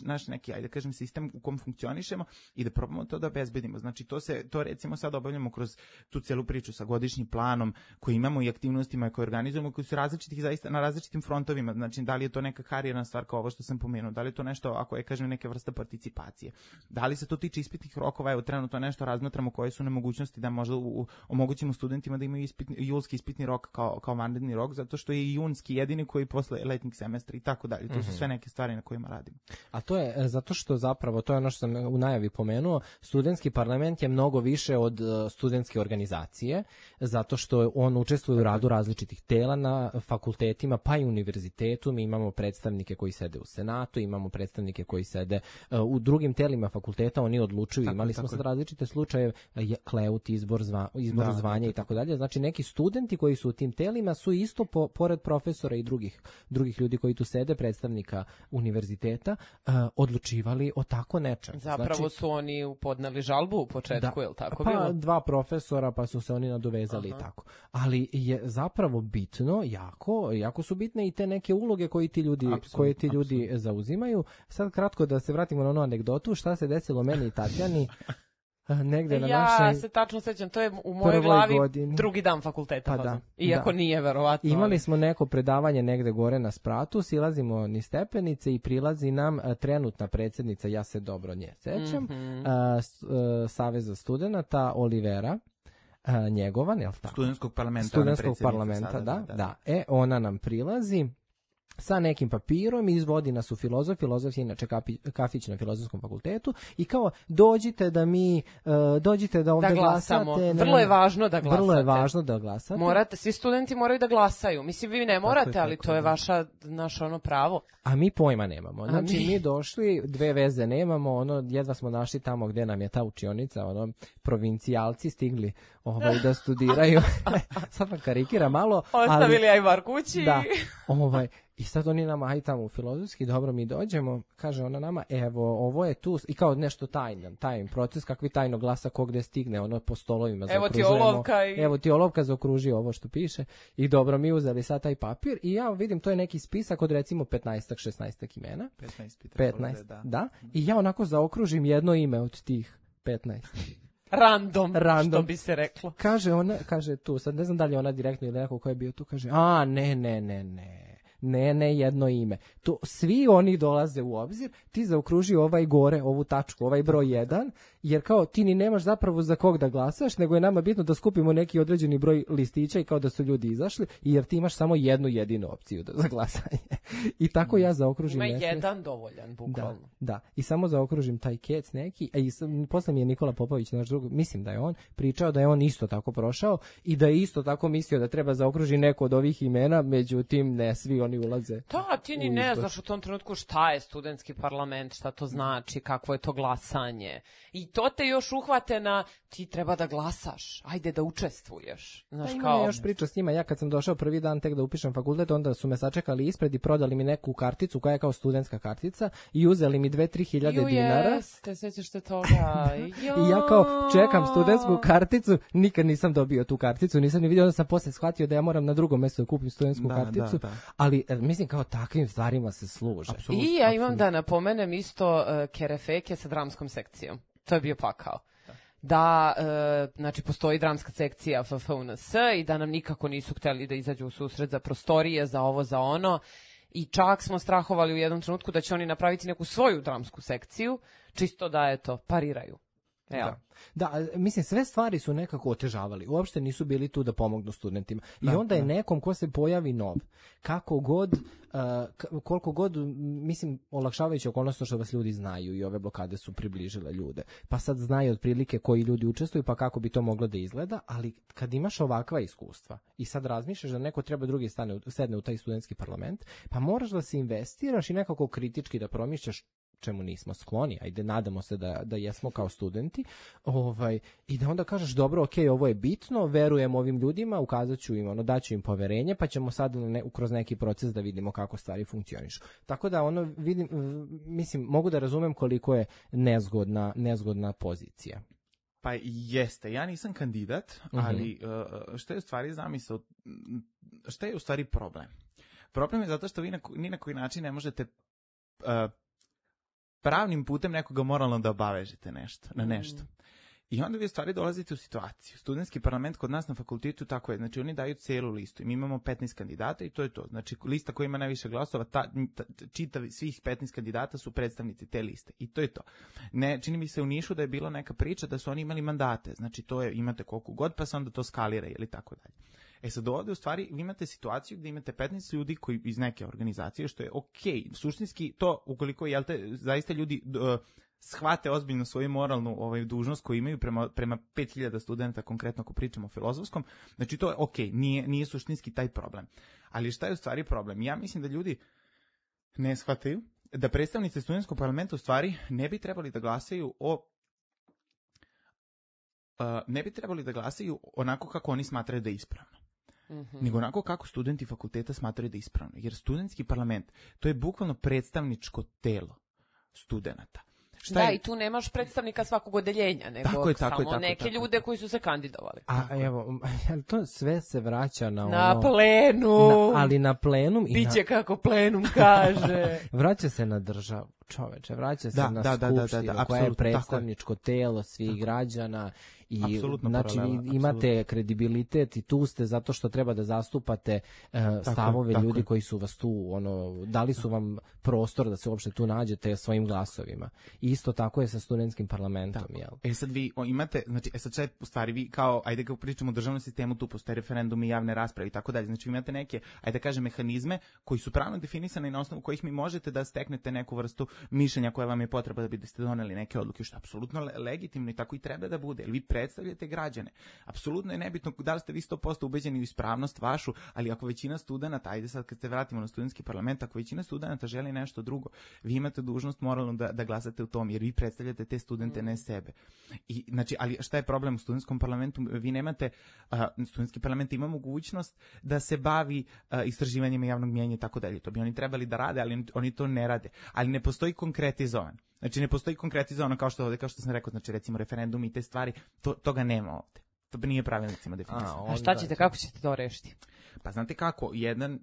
naš neki, ajde kažem, sistem u kom funkcionišemo i da probamo to da obezbedimo. Znači to recimo sad obavljamo kroz tu celu priču sa godišnjim planom koji imamo i aktivnostima koje organizujemo, koji su različitih zaista na različitim frontovima. Znači da li je to neka karijerna stvar kao ovo što sam pomenuo, da li je to nešto, ako je, kažem, neke vrste participacije, da li se to tiče ispitnih rokova, evo trenutno nešto razmatramo koje su nemogućnosti da možda omogućimo studentima da imaju julski ispitni rok kao vanredni rok, zato što je junski jedini koji posle letnjeg semestra i tako dalje. To su sve neke stvari na kojima radimo. A to je zato što zapravo, to je ono što sam u najavi pomenuo, studentski parlament je mnogo više od studentske organizacije, zato što on učestvuje u radu različitih tela na fakultetima, pa i univerzitetu. Mi imamo predstavnike koji sede u Senatu, senatu, imamo predstavnike koji sede u drugim telima fakulteta, oni odlučuju. Imali smo sad različite slučaje, kleut, izbor zvanja i tako dalje. Znači neki studenti koji su u tim telima su isto pored profesora i drugih ljudi koji tu sede, predstavnika univerziteta, odlučivali o tako nečem. Zapravo su oni podneli žalbu u početku, je li tako bilo? Pa 2 profesora, pa su se oni nadovezali i tako. Ali je zapravo bitno, jako su bitne i te neke uloge koje ti ljudi zauzimaju. Sad kratko da se vratimo na onu anegdotu, šta se desilo meni i Tatjani negde na našoj... Ja se tačno sećam, to je u mojoj glavi drugi dan fakulteta. Pa iako nije verovatno. Imali smo neko predavanje negde gore na spratu, silazimo ni stepenice i prilazi nam trenutna predsjednica, ja se dobro nje sećam, Saveza studenata Olivera, njegovan, je li tako? Studentskog parlamenta, da. Ona nam prilazi sa nekim papirom i izvodi nas u filozof je inače kafić na Filozofskom fakultetu i kao dođite da ovdje glasate. Vrlo je važno da glasate. Vrlo je važno da glasate. Svi studenti moraju da glasaju. Mislim, vi ne morate, ali to je naše pravo. A mi pojma nemamo. Znači, mi došli, 2 veze nemamo, jedva smo našli tamo gde nam je ta učionica, provincijalci stigli da studiraju. Sad vam karikira malo. Ostavili ajvar kući. Da, i sad oni nama, aj tamo u filozofski, dobro, mi dođemo, kaže ona nama, evo, ovo je tu, i kao nešto tajan proces, kakvi tajno glasa ko gde stigne, po stolovima zaokružujemo. Evo ti olovka zaokruži ovo što piše. I dobro, mi uzeli sad taj papir i ja vidim, to je neki spisak od recimo 15-16 imena. 15, da. I ja onako zaokružim jedno ime od tih 15. Random, što bi se reklo. Kaže tu, sad ne znam da li je ona direktno ili neko ko je bio tu, kaže, ne, jedno ime. To, svi oni dolaze u obzir, ti zaokruži ovaj gore, ovu tačku, ovaj broj 1, jer kao ti ni nemaš zapravo za kog da glasaš, nego je nama bitno da skupimo neki određeni broj listića i kao da su ljudi izašli, jer ti imaš samo jednu jedinu opciju za glasanje. I tako ja zaokružim. Ima jedan dovoljan, bukvalno. Da, i samo zaokružim taj kec neki, i posle mi je Nikola Popović, naš drug, mislim da je on, pričao da je on isto tako prošao i da je isto tako mislio da treba zaokruži neko od ovih imena, međutim ne svi oni ulaze. Da, ti ni ne znaš u tom trenutku šta je studentski parlament, šta to znači, kakvo je to glasanje. I to te još uhvate na ti treba da glasaš, ajde da učestvuješ. Znaš, imam još priča s njima, ja kad sam došao prvi dan tek da upišem fakultet, onda su me sačekali ispred i prodali mi neku karticu koja je kao studentska kartica i uzeli mi 2-3 hiljade dinara. Jeste, sećaš te toga. I ja kao čekam studentsku karticu, nikad nisam dobio tu karticu, nisam ni vidio, onda sam posle shvatio da ja moram na drugom mjestu da kupim studentsku karticu, ali mislim kao takvim stvarima se služe. I ja imam da napomenem isto kerefeke sa dramskom sekcijom. To je bio pakao. Da, znači, postoji dramska sekcija FFUNS i da nam nikako nisu hteli da izađu u susret za prostorije, za ovo, za ono. I čak smo strahovali u jednom trenutku da će oni napraviti neku svoju dramsku sekciju, čisto da, pariraju. Da, mislim, sve stvari su nekako otežavali. Uopšte nisu bili tu da pomognu studentima. I onda je nekom ko se pojavi nov, koliko god, mislim, olakšavajući okolnost što vas ljudi znaju i ove blokade su približile ljude. Pa sad znaju otprilike koji ljudi učestvuju, pa kako bi to moglo da izgleda, ali kad imaš ovakva iskustva i sad razmišljaš da neko treba drugi sedne u taj studentski parlament, pa moraš da se investiraš i nekako kritički da promišljaš čemu nismo skloni, ajde, nadamo se da jesmo kao studenti, i da onda kažeš, dobro, okej, ovo je bitno, verujem ovim ljudima, ukazat ću im, daću im poverenje, pa ćemo sad kroz neki proces da vidimo kako stvari funkcionišu. Tako da, mislim, mogu da razumem koliko je nezgodna pozicija. Pa jeste, ja nisam kandidat, ali šta je u stvari zamisao, šta je u stvari problem? Problem je zato što vi ni na koji način ne možete pravnim putem nekoga moralno da obavežete na nešto. I onda vi u stvari dolazite u situaciju. Studentski parlament kod nas na fakultetu tako je. Znači, oni daju celu listu. I mi imamo 15 kandidata i to je to. Znači, lista koja ima najviše glasova, svih 15 kandidata su predstavnici te liste. I to je to. Ne, čini mi se u Nišu da je bila neka priča da su oni imali mandate. Znači, to je, imate koliko god, pa se onda to skalira ili tako dalje. Sad ovdje u stvari vi imate situaciju gdje imate 15 ljudi koji iz neke organizacije, što je okej. Suštinski to, ukoliko zaista ljudi shvate ozbiljno svoju moralnu dužnost koju imaju prema 5000 studenta, konkretno ako pričamo o filozofskom, znači to je okej, nije suštinski taj problem. Ali šta je u stvari problem? Ja mislim da ljudi ne shvataju da predstavnici studentskog parlamenta u stvari ne bi trebali da glasaju onako kako oni smatraju da je ispravno. Nego onako kako studenti fakulteta smatraju da je ispravno. Jer studentski parlament, to je bukvalno predstavničko telo studenata. I tu nemaš predstavnika svakog odeljenja, nego samo neke ljude koji su se kandidovali. A evo, to sve se vraća na plenum. Ali na plenum. Biće kako plenum kaže. Vraća se na državu, čoveče, vraća se na skupštinu koja je predstavničko telo svih građana. I znači imate kredibilitet i tu ste zato što treba da zastupate stavove ljudi koji su vas tu dali su vam prostor da se uopšte tu nađete svojim glasovima. I isto tako je sa studentskim parlamentom, jel? Sad vi imate, znači sad sve u stvari vi kao, ajde kako pričamo o državnom sistemu, tu postoje referendumi, javne rasprave i tako dalje. Znači vi imate neke, ajde kažem, mehanizme koji su pravno definisani na osnovu kojih mi možete da steknete neku vrstu mišljenja koja vam je potreba da biste doneli neke odluke, što je apsolutno legitimno i tako i treba da bude. Vi predstavljate građane. Apsolutno je nebitno da li ste vi 100% ubeđeni u ispravnost vašu, ali ako većina studenata, ajde sad kad se vratimo na studentski parlament, ako većina studenata želi nešto drugo, vi imate dužnost moralno da glasate u tom, jer vi predstavljate te studente, ne sebe. I, znači, ali šta je problem u studentskom parlamentu? Vi nemate, studentski parlament ima mogućnost da se bavi istraživanjima javnog mijenja i tako dalje. To bi oni trebali da rade, ali oni to ne rade. Ali ne postoji konkretizovan. Znači ne postoji konkretizovano kao što sam rekao, znači recimo referendum i te stvari, toga nema ovde. To nije pravilnicima definisano. A šta ćete, kako ćete to rešiti? Pa znate kako, jedan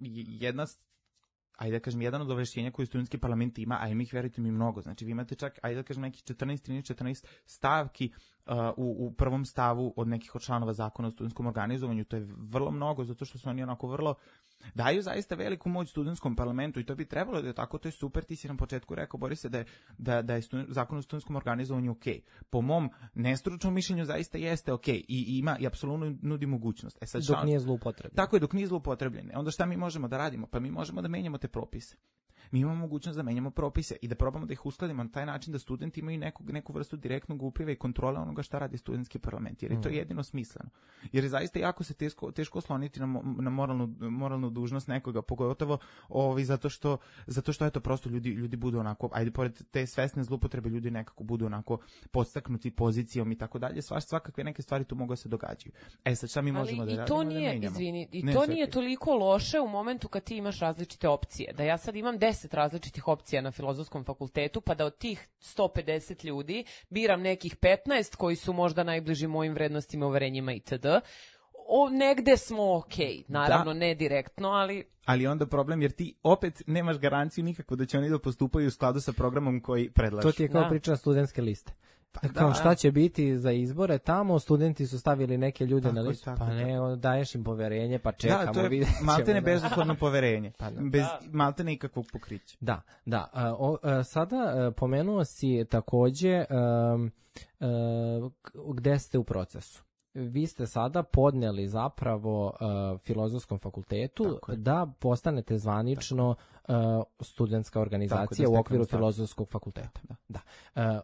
od ovlašćenja koje studentski parlament ima, a ima ih, verujte mi, mnogo. Znači vi imate čak, ajde da kažem, nekih 14 stavki u prvom stavu od nekih od članova zakona o studentskom organizovanju. To je vrlo mnogo, zato što su oni onako vrlo daju zaista veliku moć studentskom parlamentu i to bi trebalo da je tako, to je super. Ti si na početku rekao, Borise, da je zakon o studentskom organizovanju ok. Po mom nestručnom mišljenju zaista jeste ok i ima i apsolutno nudi mogućnost. Dok nije zloupotrebljen. Tako je, dok nije zloupotrebljen. Onda šta mi možemo da radimo? Pa mi možemo da menjamo te propise. Mi imamo mogućnost da menjamo propise i da probamo da ih uskladimo na taj način da studenti imaju neku vrstu direktnog upliva i kontrole onoga šta radi studentski parlament, jer je to jedino smisleno. Jer je zaista jako se teško osloniti na moralnu dužnost nekoga, pogotovo zato što eto prosto ljudi budu onako, ajde pored te svesne zloupotrebe, ljudi nekako budu onako podstaknuti pozicijom i tako dalje. Svakakve neke stvari tu mogu da se događaju. Sad šta mi možemo da radimo? To nije toliko loše u momentu kad ti imaš različite opcije. Da ja sad imam 10 različitih opcija na Filozofskom fakultetu, pa da od tih 150 ljudi biram nekih 15 koji su možda najbliži mojim vrednostima, uverenjima itd. Negde smo okej, naravno ne direktno, ali onda problem, jer ti opet nemaš garanciju nikako da će oni da postupaju u skladu sa programom koji predlažu. To ti je kao priča studentske liste. Kao šta će biti za izbore tamo, studenti su stavili neke ljude na listu, pa ne, daješ im poverenje, pa čekamo. Da, to je maltene bezuslovno poverenje, bez maltene ikakvog pokrića. Da. Sada pomenuo si takođe gde ste u procesu. Vi ste sada podneli zapravo Filozofskom fakultetu da postanete zvanično studentska organizacija u okviru Filozofskog fakulteta. Da.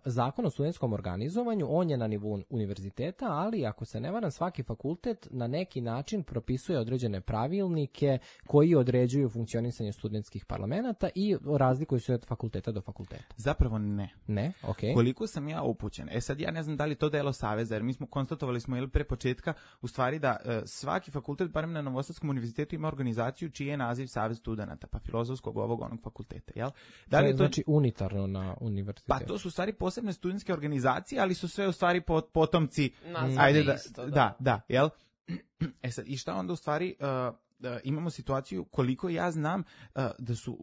Zakon o studentskom organizovanju, on je na nivou univerziteta, ali ako se ne varam, svaki fakultet na neki način propisuje određene pravilnike koji određuju funkcionisanje studentskih parlamenata i razlikuju se od fakulteta do fakulteta. Zapravo ne. Ne? Okej. Koliko sam ja upućen. Sad ja ne znam da li to delo saveza, jer mi smo konstatovali pre početka u stvari da svaki fakultet, barem na Novosadskom univerzitetu, ima organizaciju čiji je naziv Savez studenata, pa Filozofskog onog fakulteta, jel? Da li je to znači unitarno na univerzitetu? Pa to su u stvari posebne studentske organizacije, ali su sve u stvari potomci. Da, jel? Sad, i šta onda u stvari imamo situaciju, koliko ja znam, da su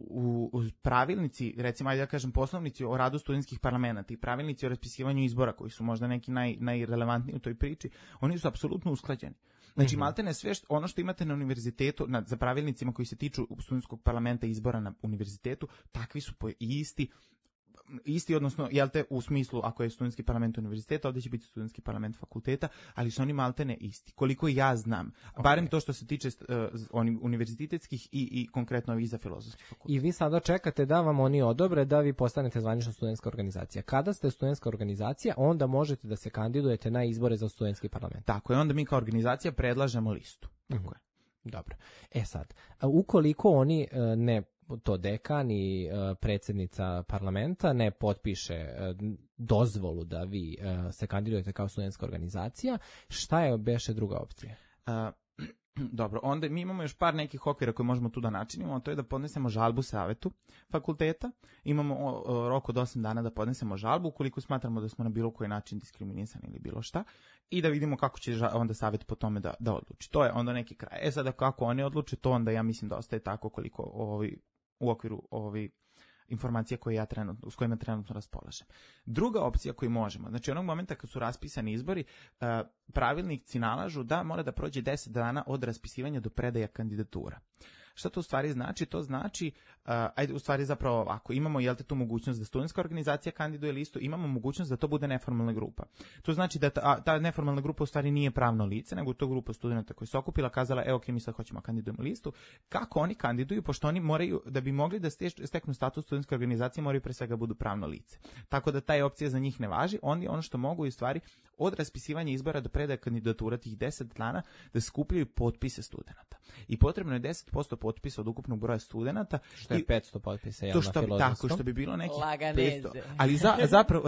u pravilnici, recimo, ajde da kažem, poslovnici o radu studentskih parlamenata i pravilnici o raspisivanju izbora, koji su možda neki najrelevantniji u toj priči, oni su apsolutno usklađeni. Znači, maltene sve ono što imate na univerzitetu, za pravilnicima koji se tiču studentskog parlamenta i izbora na univerzitetu, takvi su isti, odnosno, jel te, u smislu, ako je studentski parlament univerziteta, ovdje će biti studentski parlament fakulteta, ali su oni maltene isti. Koliko ja znam, barem to što se tiče univerzitetskih i konkretno i za Filozofski fakultet. I vi sada čekate da vam oni odobre da vi postanete zvanična studentska organizacija. Kada ste studentska organizacija, onda možete da se kandidujete na izbore za studentski parlament. Tako je, onda mi kao organizacija predlažemo listu. Tako je. Dobro. Sad, ukoliko oni ne to dekan i predsjednica parlamenta ne potpiše dozvolu da vi se kandidujete kao studentska organizacija, šta je beše druga opcija? Dobro, onda mi imamo još par nekih okvira koje možemo tu da načinimo, a to je da podnesemo žalbu savetu fakulteta. Imamo rok od 8 dana da podnesemo žalbu ukoliko smatramo da smo na bilo koji način diskriminisani ili bilo šta i da vidimo kako će onda savet po tome da odluči. To je onda neki kraj. Sada kako oni odluče, to onda ja mislim da ostaje tako koliko u okviru informacija s kojima trenutno raspolažem. Druga opcija koju možemo, znači onog momenta kad su raspisani izbori, pravilnici nalažu da mora da prođe 10 dana od raspisivanja do predaja kandidatura. Šta to u stvari znači? To znači, u stvari zapravo ovako, imamo tu mogućnost da studentska organizacija kandiduje listu, imamo mogućnost da to bude neformalna grupa. To znači da ta neformalna grupa u stvari nije pravno lice, nego to grupa studenta koja se okupila, kazala, ok, mi sad hoćemo kandidujemo listu. Kako oni kandiduju? Pošto oni moraju, da bi mogli da steknu status studentske organizacije, moraju pre svega budu pravno lice. Tako da ta opcija za njih ne važi. Oni ono što mogu je u stvari od raspisivanja izbora do predaja kandidatura tih 10 dana da skupljaju potpise studenata. I potrebno je 10% potpisa od ukupnog broja studenata. Što je 500 potpisa, to tako, što bi bilo nekih Laganeze. 500. Ali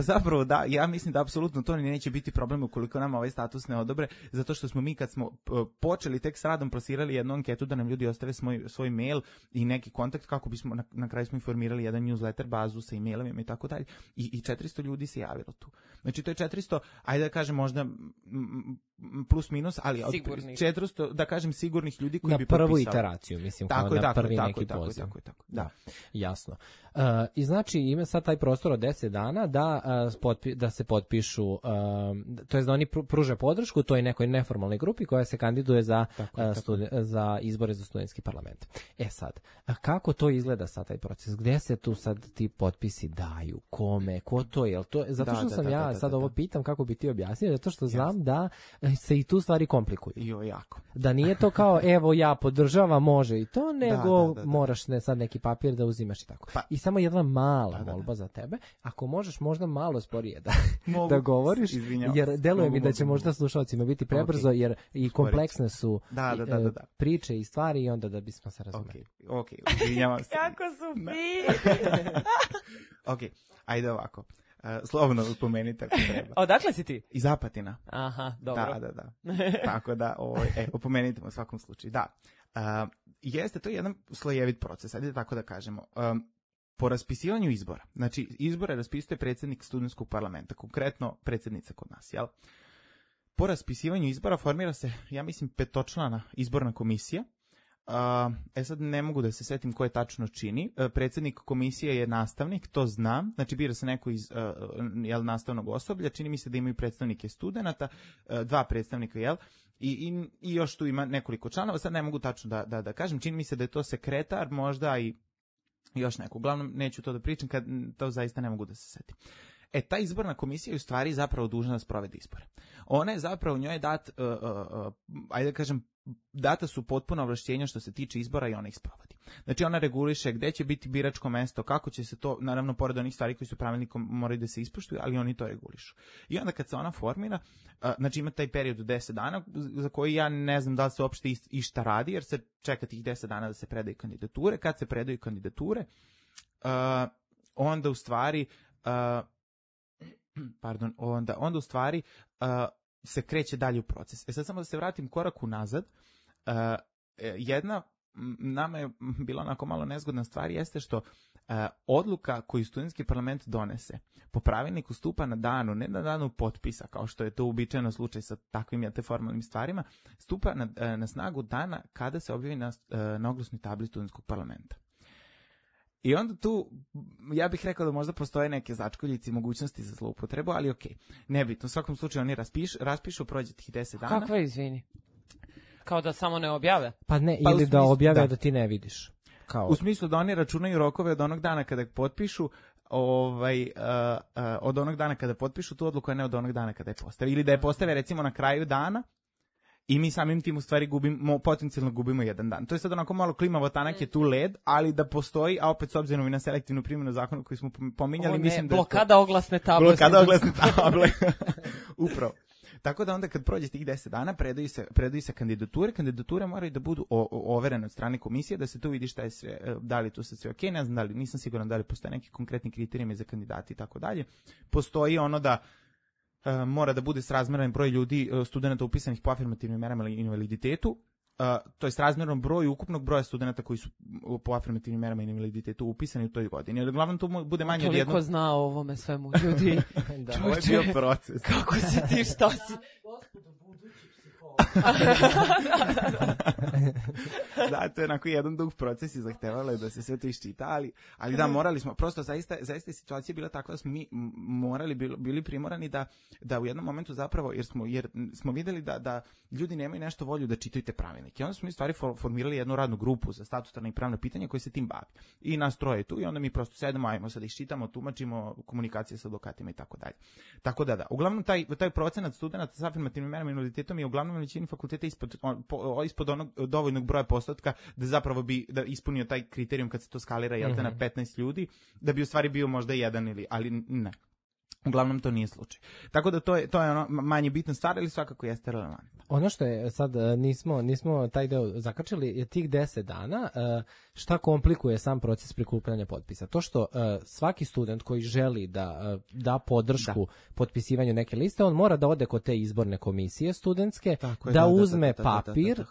zapravo da, ja mislim da apsolutno to neće biti problem ukoliko nam ovaj status ne odobre, zato što smo mi kad smo počeli tek s radom prosirali jednu anketu da nam ljudi ostave svoj mail i neki kontakt kako bismo na kraju smo informirali jedan newsletter bazu sa e-mailovima i tako dalje. I 400 ljudi se javilo tu. Znači to je 400, ajde da kažem možda plus minus, ali 400, da kažem, sigurnih ljudi koji bi potpisali. Na prvu iteraciju, mislim, kao na prvi neki poziv. Tako. Da. Jasno. I znači ima sad taj prostor od 10 dana da se potpišu, to je da oni pruže podršku toj nekoj neformalnoj grupi koja se kandiduje za izbore za studentski parlament. Sad, kako to izgleda sad taj proces? Gde se tu sad ti potpisi daju? Kome? Ko to je? Zato što sam ovo pitam kako bi ti objasnio, zato što znam da se i tu stvari komplikuju. Jako. Da nije to kao, evo ja podržavam, može i to, nego moraš sad neki papir da uzimaš i tako. I samo jedna mala molba za tebe, ako možeš možda malo sporije da govoriš, jer deluje mi da će možda slušalcima biti prebrzo, jer i kompleksne su priče i stvari i onda da bismo se razumeli. Ok, izvinjavam se. Kako su fini! Ok, ajde ovako. Slobodno upomenite ako treba. Odakle si ti? Iz Apatina. Aha, dobro. Da. Tako da, upomenite u svakom slučaju. Da. Jeste, to je jedan slojevit proces, ajde tako da kažemo. Po raspisivanju izbora, znači izbore raspisuje predsjednik studentskog parlamenta, konkretno predsjednica kod nas, jel? Po raspisivanju izbora formira se, ja mislim, 5-člana izborna komisija. Sad ne mogu da se setim ko je tačno čini. Predsjednik komisije je nastavnik, to znam. Znači bira se neko iz nastavnog osoblja. Čini mi se da imaju predstavnike studenata, 2 predstavnika, jel? I još tu ima nekoliko članova. Sad ne mogu tačno da kažem. Čini mi se da je to sekretar, možda i još neko. Uglavnom neću to da pričam, kad to zaista ne mogu da se setim. Ta izborna komisija je u stvari zapravo dužna da sprovede izbore. Ona je zapravo, njoj je ajde da kažem, data su potpuno ovlašćenja što se tiče izbora i ona ih sprovodi. Znači ona reguliše gde će biti biračko mesto, kako će se to, naravno pored onih stvari koji su pravilnikom moraju da se ispoštuju, ali oni to regulišu. I onda kad se ona formira, znači ima taj period od 10 dana za koji ja ne znam da li se uopšte išta radi, jer se čeka tih 10 dana da se predaju kandidature. Kad se predaju kandidature, onda u stvari onda u stvari se kreće dalje u proces. Sad samo da se vratim korak unazad. Jedna nama je bila onako malo nezgodna stvar jeste što odluka koju studentski parlament donese po pravilniku stupa na danu, ne na danu potpisa, kao što je to uobičajeno slučaj sa takvim formalnim stvarima, stupa na snagu dana kada se objavi na oglasnoj tabli studentskog parlamenta. I onda tu, ja bih rekao da možda postoje neke začkoljice i mogućnosti za zloupotrebu, ali okej. Nebitno, u svakom slučaju oni raspišu, prođe tih 10 dana. Kakva izvini? Kao da samo ne objave? Pa ne, ili da objave da ti ne vidiš. U smislu da oni računaju rokove od onog dana kada potpišu, od onog dana kada potpišu tu odluku, a ne od onog dana kada je postave. Ili da je postave recimo na kraju dana, i mi samim tim u stvari potencijalno gubimo jedan dan. To je sad onako malo klimavo, tanak je tu led, ali da postoji, a opet s obzirom i na selektivnu primjenu zakona koji smo pominjali, mislim da je blokada oglasne table. Blokada oglasne table. Upravo. Tako da onda kad prođe tih 10 dana, predaju se kandidature moraju da budu overene od strane komisije, da se tu vidi šta je sve, da li tu sve okej, ne znam nisam siguran da li postoje neki konkretni kriterijumi za kandidati i tako dalje. Postoji ono da mora da bude srazmeran broj ljudi, studenta upisanih po afirmativnim merama ili invaliditetu, to je srazmjerno broju ukupnog broja studenta koji su po afirmativnim merama i invaliditetu upisani u toj godini. Ali uglavnom to bude manje od jednog. Toliko zna o ovome svemu ljudi. Da, ovo je bio proces. Kako si ti, šta si? Da, to je onako jedan dug proces i zahtevalo je da se sve to iščita, ali da, morali smo, prosto zaista situacija je bila takva da smo mi bili primorani da u jednom momentu zapravo, jer smo videli da ljudi nemaju nešto volju da čitaju te pravilnike. I onda smo mi stvari formirali jednu radnu grupu za statutarna i pravna pitanja koja se tim bavi. I nas troje tu i onda mi prosto sedemo, ajmo sad iščitamo, tumačimo, komunikacije sa advokatima i tako dalje. Tako da. Uglavnom taj procenat studenta sa afirmativnim merama i invaliditetom je uglavnom većini fakulteta ispod onog dovoljnog broja postotka da zapravo bi da ispunio taj kriterijum kad se to skalira na 15 ljudi, da bi u stvari bio možda jedan ali ne. Uglavnom to nije slučaj. Tako da to je ono manje bitna stvar, ali svakako jeste relevantno. Ono što je sad nismo taj deo zakačili je tih 10 dana šta komplikuje sam proces prikupljanja potpisa. To što svaki student koji želi da podršku potpisivanju neke liste, on mora da ode kod te izborne komisije studentske, da uzme papir,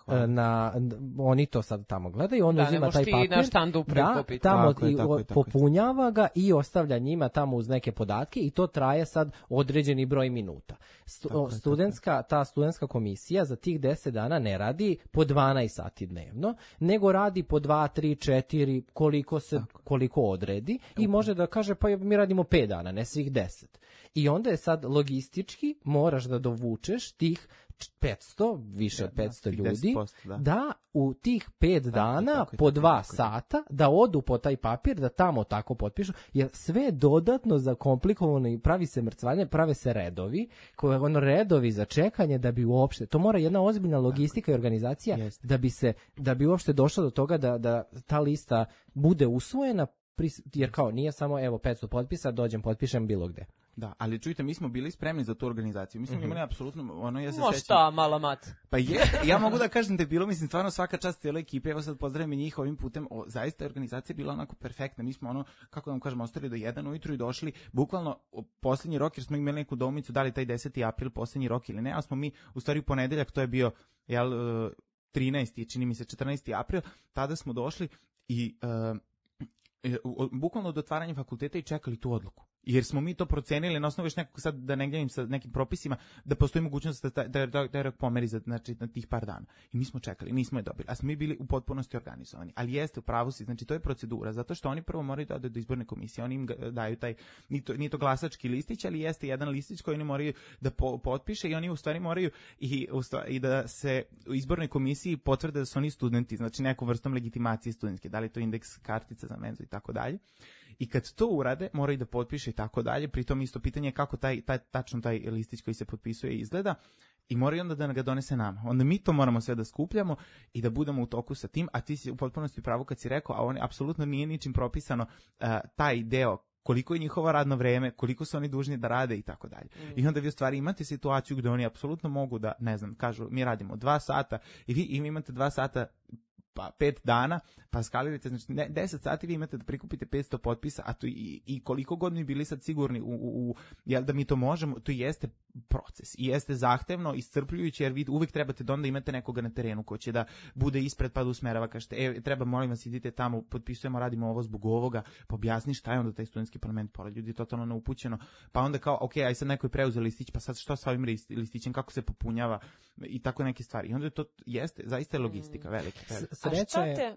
oni to sad tamo gledaju, on uzima taj papir, na štandu prikupiti. Tamo popunjava ga i ostavlja njima tamo uz neke podatke i to traje sad određeni broj minuta. Ta studentska komisija za tih 10 dana ne radi po 12 sati dnevno, nego radi po 2, 3, 4, koliko odredi i može da kaže pa mi radimo 5 dana, ne svih 10. I onda je sad logistički moraš da dovučeš tih 500, više od 500 ljudi, da u tih 5 dana po 2 sata da odu po taj papir, da tamo tako potpišu, jer sve je dodatno zakomplikovano i pravi se mrcvanje, prave se redovi, redovi za čekanje da bi uopšte, to mora jedna ozbiljna logistika i organizacija da bi uopšte došlo do toga da ta lista bude usvojena, jer kao nije samo evo 500 potpisa, dođem, potpišem bilo gde. Da, ali čujte, mi smo bili spremni za tu organizaciju. Mi smo imali apsolutno, ja se sećam. Šta, mala mat. Pa ja mogu da kažem da je bilo, stvarno svaka čast cijeloj ekipi, evo sad pozdravim i njih ovim putem, zaista je organizacija bila onako perfektna. Mi smo kako da vam kažem, ostali do 1 ujutru i došli, bukvalno posljednji rok, jer smo imali neku domicu, da li taj 10. april posljednji rok ili ne, ali smo mi, u stvari u ponedeljak, to je bio, 13. čini mi se 14. april, tada smo došli i bukvalno do otvaranja fakulteta i čekali tu odluku. Jer smo mi to procenili na osnovu još nekog, sad da ne gledam sa nekim propisima, da postoji mogućnost da rok pomeri na tih par dana. I mi smo čekali, nismo je dobili, a smo mi bili u potpunosti organizovani. Ali jeste, u pravu si, znači to je procedura, zato što oni prvo moraju da ode do izborne komisije, oni im daju taj, nije to glasački listić, ali jeste jedan listić koji oni moraju da potpiše i oni u stvari moraju i da se u izbornoj komisiji potvrde da su oni studenti, znači neku vrstom legitimacije studentske, da li to indeks kartica za menzu i tako dalje. I kad to urade, moraju da potpiše i tako dalje, pritom isto pitanje je kako tačno taj listić koji se potpisuje izgleda i moraju onda da ga donese nama. Onda mi to moramo sve da skupljamo i da budemo u toku sa tim, a ti si u potpunosti pravo kad si rekao, a oni apsolutno nije ničim propisano taj deo koliko je njihovo radno vreme, koliko su oni dužni da rade i tako dalje. I onda vi u stvari imate situaciju gde oni apsolutno mogu da, ne znam, kažu mi radimo 2 sata i vi imate 2 sata pa 5 dana, pa skalirate, znači 10 sati vi imate da prikupite 500 potpisa, a to i koliko god mi bili sad sigurni jel da mi to možemo, to jeste proces i jeste zahtevno, iscrpljujuće, jer vi uvek trebate da onda imate nekoga na terenu ko će da bude ispred pa da usmerava, kažete, treba, molim vas, idite tamo, potpisujemo, radimo ovo zbog ovoga, pa objasni šta je onda taj studentski parlament, pored ljudi totalno neupućeno, pa onda kao, ok, aj sad neko je preuzeo listić, pa sad što sa ovim listićem, kako se popunjava i tako neke stvari. I onda to jeste, zaista je logistika velika. Sreća je...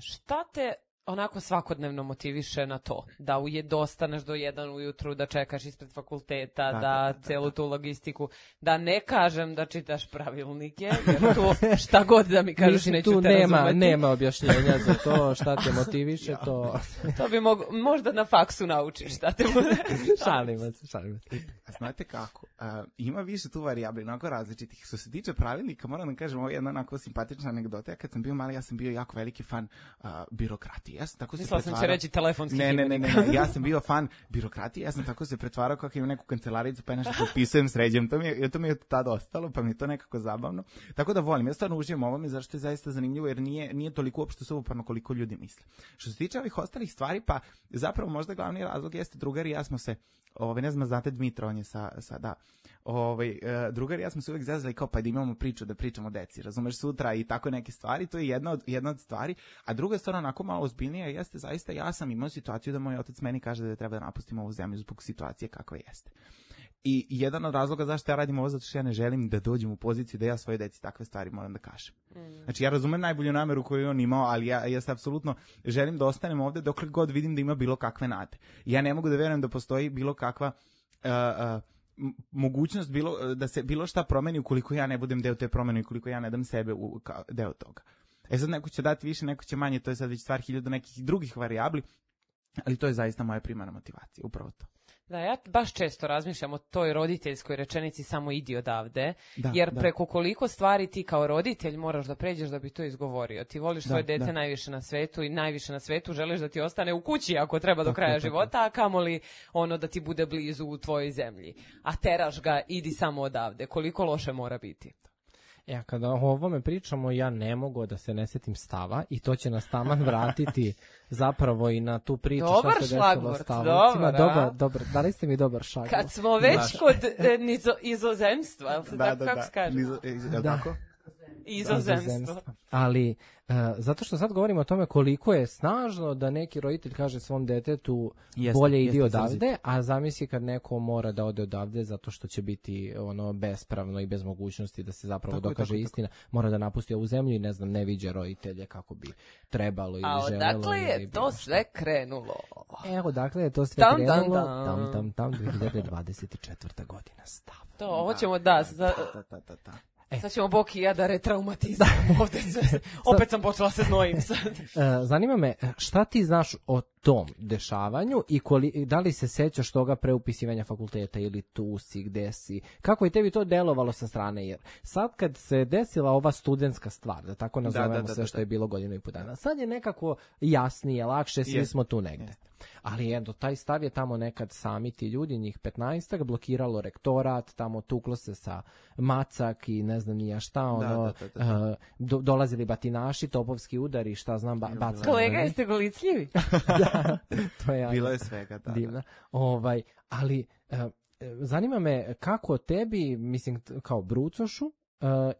Šta te onako svakodnevno motiviše na to? Da dostaneš do 1 ujutru, da čekaš ispred fakulteta, da celu tu logistiku, da ne kažem da čitaš pravilnike, jer tu šta god da mi kažeš neću te razumeti. Nema objašnjenja za to, šta te motiviše, to... To bi možda na faksu naučiš šta te motiviše. Šalimo se. znate kako, ima više tu varijabli, onako različitih. Što se tiče pravilnika, moram da kažem, ovo je jedna onako simpatična anegdota. Ja kad sam bio mali, ja sam bio jako veliki fan birokratije. Ja sam tako se pretvarao... Mislila sam će reći telefonski ne, ja sam bio fan birokratije, ja sam tako se pretvarao kako imam neku kancelaricu, pa je nešto potpisujem, sređujem. To mi je od tada ostalo, pa mi je to nekako zabavno. Tako da volim, ja stvarno uživam ovome, zašto je zaista zanimljivo, jer nije toliko uopšte suvoparno koliko ljudi misle. Što se tiče ovih ostalih stvari, pa zapravo možda glavni razlog jeste drugari, ja smo se, ne znam, znate Dmitra, on je drugari, ja smo se uvijek zazvali kao pa da imamo priču, da pričamo o deci, razumeš, sutra i tako neke stvari, to je jedna od stvari, a druga stvar onako malo ozbiljnija jeste, zaista ja sam imao situaciju da moj otac meni kaže da treba da napustim ovu zemlju zbog situacije kakva jeste. I jedan od razloga zašto ja radim ovo, zato što ja ne želim da dođem u poziciju da ja svoje deci takve stvari moram da kažem. Znači ja razumem najbolju nameru koju je on imao, ali ja se apsolutno želim da ostanem ovde dokle god vidim da ima bilo kakve nade. Ja ne mogu da verujem da postoji bilo kakva mogućnost da se bilo šta promeni ukoliko ja ne budem deo te promene i ukoliko ja ne dam sebe deo toga. Sad neko će dati više, neko će manje, to je sad već stvar 1000 nekih drugih varijabli, ali to je zaista moja primarna motivacija, upravo to. Da, ja baš često razmišljam o toj roditeljskoj rečenici samo idi odavde, jer preko koliko stvari ti kao roditelj moraš da pređeš da bi to izgovorio. Ti voliš svoje dete najviše na svetu i najviše na svetu želiš da ti ostane u kući ako treba do kraja života, a kamoli da ti bude blizu u tvojoj zemlji. A teraš ga, idi samo odavde. Koliko loše mora biti? Ja, kada o ovome pričamo, ja ne mogu da se ne setim stava i to će nas taman vratiti zapravo i na tu priču dobar šta se desilo stavovcima. Dobar, dali ste mi dobar šlagvort. Kad smo već kod izozemstva, kako se kaže? Tako? Izozemstvo. Ali, zato što sad govorimo o tome koliko je snažno da neki roditelj kaže svom detetu bolje idi odavde, a zamisli kad neko mora da ode odavde zato što će biti bespravno i bez mogućnosti da se zapravo dokaže istina, mora da napusti ovu zemlju i ne viđe roditelje kako bi trebalo ili želelo. A odakle je to sve krenulo? Evo, dakle je to sve krenulo. Tam 2024. godina stav. To, ovo ćemo sad ćemo Boki i ja da retraumatizam ovde sve. Opet sam počela se znojim sad. Zanima me, šta ti znaš o tom dešavanju i da li se sećaš toga pre upisivanja fakulteta ili tu si, gde si? Kako je tebi to delovalo sa strane? Jer sad kad se desila ova studentska stvar, da tako nazovemo sve što je bilo 1.5 godina, sad je nekako jasnije, lakše, svi smo tu negde. Ali taj stav je tamo nekad sami ti ljudi, njih 15-ak, blokiralo rektorat, tamo tuklo se sa Macak i ne znam nija šta, dolazili batinaši, topovski udari, šta znam, bacali. Kolega, jeste golicljivi? To je bilo je svega, divna. Ali zanima me kako tebi, mislim, kao brucošu,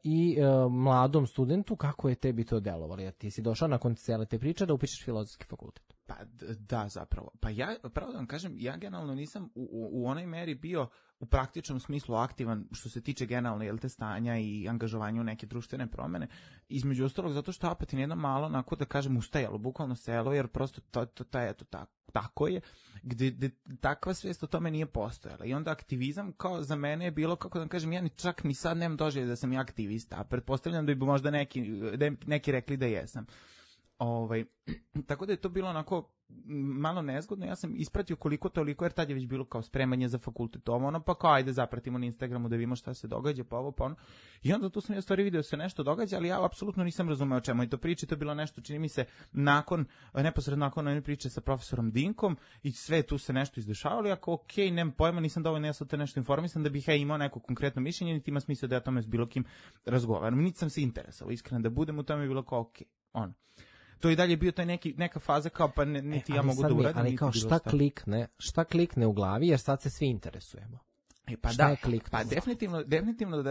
i mladom studentu, kako je tebi to delovalo? Ti si došao nakon cele te priče da upišeš filozofski fakultet. Pa da, zapravo. Pa ja, pravo da vam kažem, ja generalno nisam u onoj meri bio u praktičnom smislu aktivan što se tiče generalno te stanja i angažovanja u neke društvene promene. Između ostalog, zato što opet je jedno malo, onako da kažem, ustajalo, bukvalno selo, jer prosto tako je, gde takva svijest o tome nije postojala. I onda aktivizam kao za mene je bilo, kako da kažem, ja čak ni sad nemam doželje da sam ja aktivista, a pretpostavljam da bi možda neki rekli da jesam. Tako da je to bilo onako malo nezgodno, ja sam ispratio koliko toliko, jer tad je već bilo kao spremanje za fakultet, pa kao ajde zapratimo na Instagramu da vidimo šta se događa, pa ovo, pa ono. I onda tu sam ja stvari vidio se nešto događa, ali ja apsolutno nisam razumeo o čemu je to priče, to je bilo nešto, čini mi se, neposredno nakon one priče sa profesorom Dinkom i sve tu se nešto izdešavalo, ja kao nemam pojma, nisam dovoljno ja sam te nešto informisan da bih ja imao neko konkretno mišljenje, niti ima smisla da ja tome s bilo kim razgovaram, niti sam se interesovao, iskreno da budem u tome je bilo kao to i dalje bio taj neka faza kao pa niti ja mogu da uradim. Ali kao šta klikne u glavi jer sad se svi interesujemo. Pa definitivno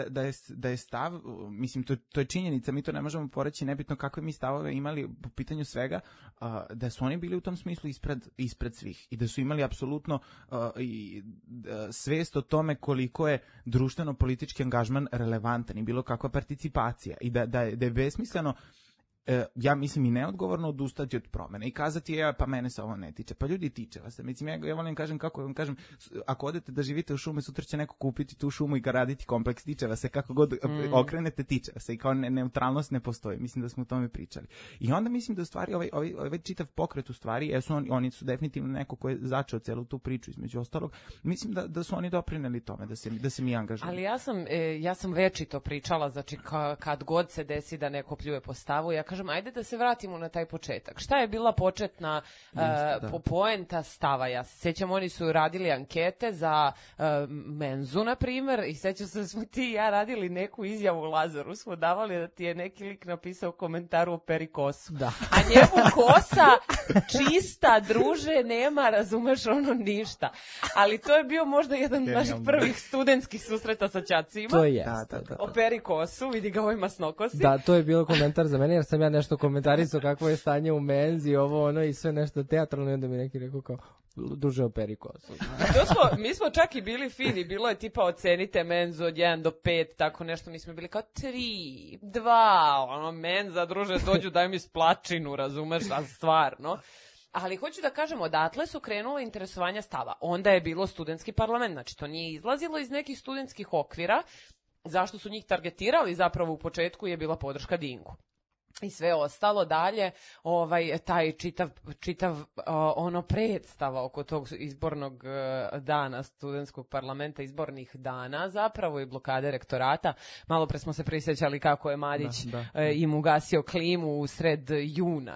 da je stav, mislim to je činjenica, mi to ne možemo poreći, nebitno kakve mi stavove imali po pitanju svega, da su oni bili u tom smislu ispred svih i da su imali apsolutno svest o tome koliko je društveno-politički angažman relevantan i bilo kakva participacija i da je besmisleno ja mislim i neodgovorno odustati od promene i kazati pa mene se ovo ne tiče. Pa ljudi, tiče vas se. Mislim, ja volim kažem kako vam kažem, ako odete da živite u šumi, sutra će neko kupiti tu šumu i graditi kompleks, tiče vas se, kako god okrenete, tiče vas se i kao neutralnost ne postoji. Mislim da smo o tome pričali. I onda mislim da u stvari ovaj čitav pokret u stvari, oni su definitivno neko ko je začeo celu tu priču između ostalog. Mislim da su oni doprineli tome, da se mi angažujemo. Ali ja sam večito pričala, znači kad god se desi da neko pljuje po stavu, ja kažem, ajde da se vratimo na taj početak. Šta je bila početna poenta stava? Ja se sjećam, oni su radili ankete za menzu, na primjer, i sjećam se da smo ti i ja radili neku izjavu u Lazaru, smo davali da ti je neki lik napisao u komentaru o perikosu. Da. A njemu kosa čista, druže, nema, razumeš, ono ništa. Ali to je bio možda jedan od naših prvih studentskih susreta sa ćacima. To je. O perikosu, vidi ga ovoj masnokosi. Da, to je bilo komentar za mene, jer sam ja nešto komentarisao kakvo je stanje u menzi, ovo ono i sve nešto teatralno, i onda mi neki rekao kao, druže, o perikosu. Mi smo čak i bili fini, bilo je tipa ocenite menzu od 1 do 5, tako nešto, mi smo bili kao 3, 2, ono menza, druže, dođu daj mi splačinu, razumeš, a stvarno. Ali hoću da kažem, odatle su krenula interesovanja stava. Onda je bilo studentski parlament, znači to nije izlazilo iz nekih studentskih okvira. Zašto su njih targetirali zapravo u početku je bila podrška Dinku. I sve ostalo dalje, taj čitav ono predstava oko tog izbornog dana studentskog parlamenta, izbornih dana zapravo i blokade rektorata. Malo pre smo se prisjećali kako je Madić im ugasio klimu u sred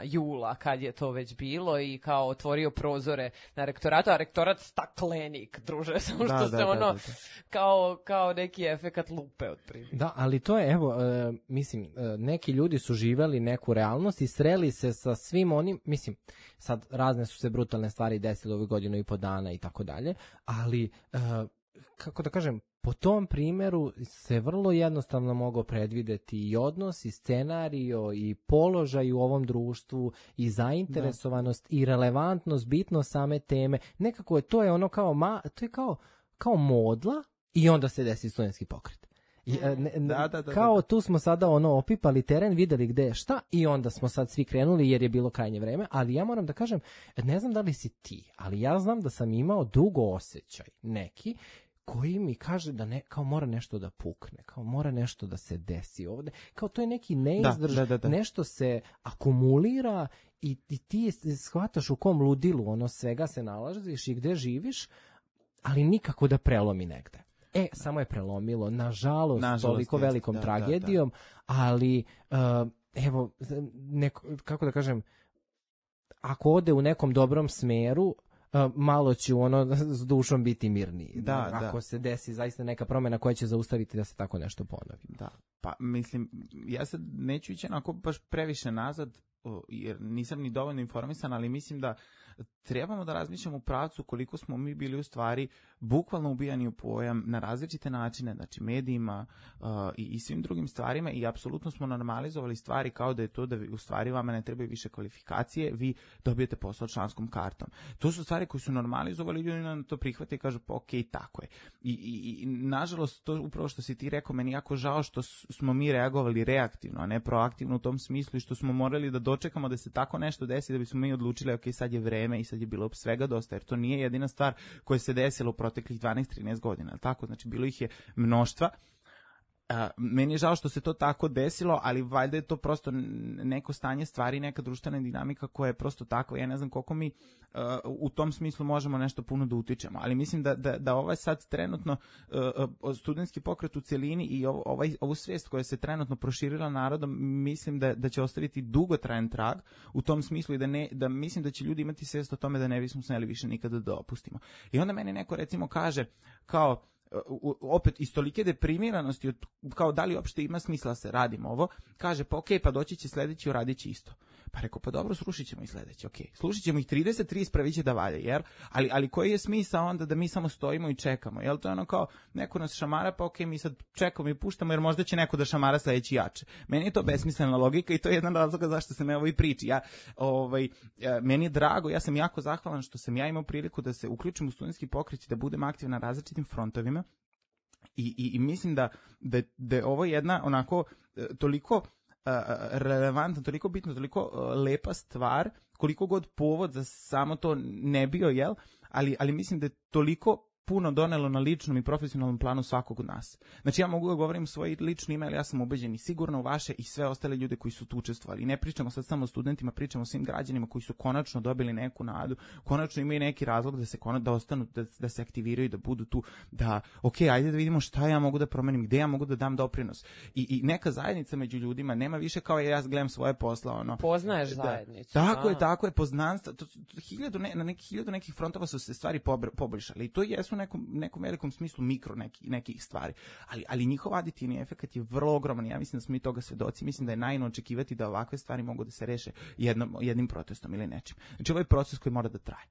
jula, kad je to već bilo, i kao otvorio prozore na rektoratu, a rektorat staklenik, druže, samo što se ono kao neki efekat lupe otprilike. Da, ali to je, evo, mislim, neki ljudi su živeli neku realnost i sreli se sa svim onim, mislim, sad razne su se brutalne stvari desile ovih godinu i po dana i tako dalje, ali, kako da kažem, po tom primjeru se vrlo jednostavno mogao predvideti i odnos, i scenario, i položaj u ovom društvu, i zainteresovanost, i relevantnost, bitnost same teme. Nekako je to je ono to je kao modla i onda se desi studentski pokret. Kao tu smo sada opipali teren, videli gde je šta i onda smo sad svi krenuli jer je bilo krajnje vreme, ali ja moram da kažem, ne znam da li si ti, ali ja znam da sam imao dugo osjećaj neki koji mi kaže da kao mora nešto da pukne, kao mora nešto da se desi ovde, kao to je neki neizdrž, nešto se akumulira i ti shvataš u kom ludilu svega se nalaziš i gde živiš, ali nikako da prelomi negde. Samo je prelomilo, nažalost toliko velikom tragedijom, ali evo, kako da kažem, ako ode u nekom dobrom smeru, malo ću s dušom biti mirniji. Ako se desi zaista neka promjena koja će zaustaviti da se tako nešto ponovi. Da, pa mislim, ja sad neću ići onako baš previše nazad, jer nisam ni dovoljno informisan, ali mislim da trebamo da razmišljamo u pravcu koliko smo mi bili u stvari bukvalno ubijani u pojam na različite načine, znači medijima i svim drugim stvarima, i apsolutno smo normalizovali stvari kao da je to da u stvari vama ne trebaju više kvalifikacije, vi dobijete posao članskom kartom. To su stvari koje su normalizovali, ljudi na to prihvate i kažu pa okej, tako je. I nažalost, to upravo što si ti rekao, meni jako žao što smo mi reagovali reaktivno, a ne proaktivno u tom smislu, i što smo morali da dočekamo da se tako nešto desi da bismo mi odlučili ok, sad je vreme i sad je bilo svega dosta, jer to nije jedina stvar koja se desila u proteklih 12-13 godina, tako, znači bilo ih je mnoštva. Meni je žao što se to tako desilo, ali valjda je to prosto neko stanje stvari, neka društvena dinamika koja je prosto takva. Ja ne znam koliko mi u tom smislu možemo nešto puno da utičemo, ali mislim da ovaj sad trenutno studentski pokret u celini i ovu svijest koja se trenutno proširila narodom, mislim da će ostaviti dugotrajan trag u tom smislu, i da mislim da će ljudi imati svijest o tome da ne bismo smeli više nikada da opustimo. I onda meni neko recimo kaže kao, opet iz tolike deprimiranosti, kao da li uopšte ima smisla se radimo ovo, kaže pa okej, pa doći će sledeći, uradit će isto. Pa rekao, pa dobro, slušit ćemo i sledeći, okej. Slušit ćemo ih 30 ispravit će da valje, jer, ali koji je smisao onda da mi samo stojimo i čekamo, jel to je ono kao, neko nas šamara, pa okej, mi sad čekamo i puštamo, jer možda će neko da šamara sledeći jače. Meni je to besmislena logika i to je jedan razlog zašto sam ja ovoj priči. Meni je drago, ja sam jako zahvalan što sam ja imao priliku da se uključim u studentski pokret i da budem aktivan na različitim frontovima. I mislim da je ovo jedna onako toliko relevantna, toliko bitna, toliko lepa stvar, koliko god povod za samo to ne bio, jel? Ali mislim da je toliko puno donelo na ličnom i profesionalnom planu svakog od nas. Znači ja mogu da govorim svoje lično ime, ali ja sam ubeđen i sigurno u vaše i sve ostale ljude koji su tu učestvovali. I ne pričamo sad samo o studentima, pričamo o svim građanima koji su konačno dobili neku nadu, konačno imaju neki razlog da se da ostanu, da se aktiviraju, da budu tu, da ajde da vidimo šta ja mogu da promenim, gde ja mogu da dam doprinos. I neka zajednica među ljudima nema više kao ja gledam svoje posla, Poznaješ zajednicu. Tako je, poznanstva. Na nekih nekih frontova su se stvari poboljšali i to jesu nekom velikom smislu mikro nekih stvari. Ali njihov aditivni efekat je vrlo ogroman. Ja mislim da smo mi toga svedoci. Mislim da je naivno očekivati da ovakve stvari mogu da se reše jednim protestom ili nečim. Znači ovo je proces koji mora da traje.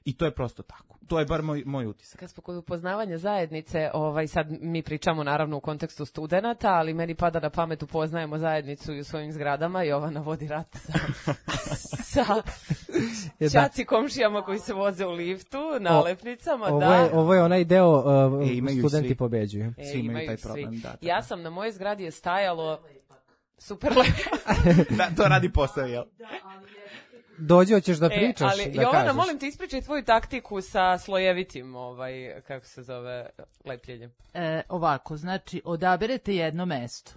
I to je prosto tako. To je bar moj utisak. Kad smo kod upoznavanja zajednice, sad mi pričamo naravno u kontekstu studenata, ali meni pada na pamet upoznajemo zajednicu i u svojim zgradama. Jovana vodi rat sa ćaci komšijama koji se voze u liftu, nalepnicama. Ovo je onaj deo studenti pobeđuju. Svi imaju taj problem. Da. Ja sam na mojoj zgradi je stajalo super lepo. Da, to radi posao, jel? Dođi, hoćeš da pričaš, ali, da Jovana, kažeš. molim te ispričaj tvoju taktiku sa slojevitim, kako se zove, lepljenjem. Ovako, znači, odaberete jedno mesto.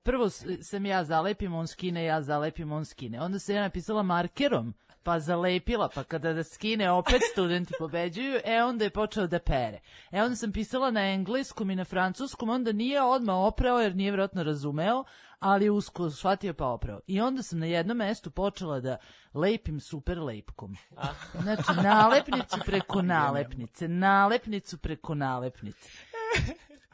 Prvo sam ja zalepim, on skine, ja zalepim, on skine. Onda sam ja napisala markerom, pa zalepila, pa kada da skine opet studenti pobeđuju, onda je počeo da pere. Onda sam pisala na engleskom i na francuskom, onda nije odmah oprao jer nije vjerojatno razumeo, ali usko shvatio pa oprao. I onda sam na jednom mestu počela da lepim super lepkom. Znači, nalepnicu preko nalepnice, nalepnicu preko nalepnice.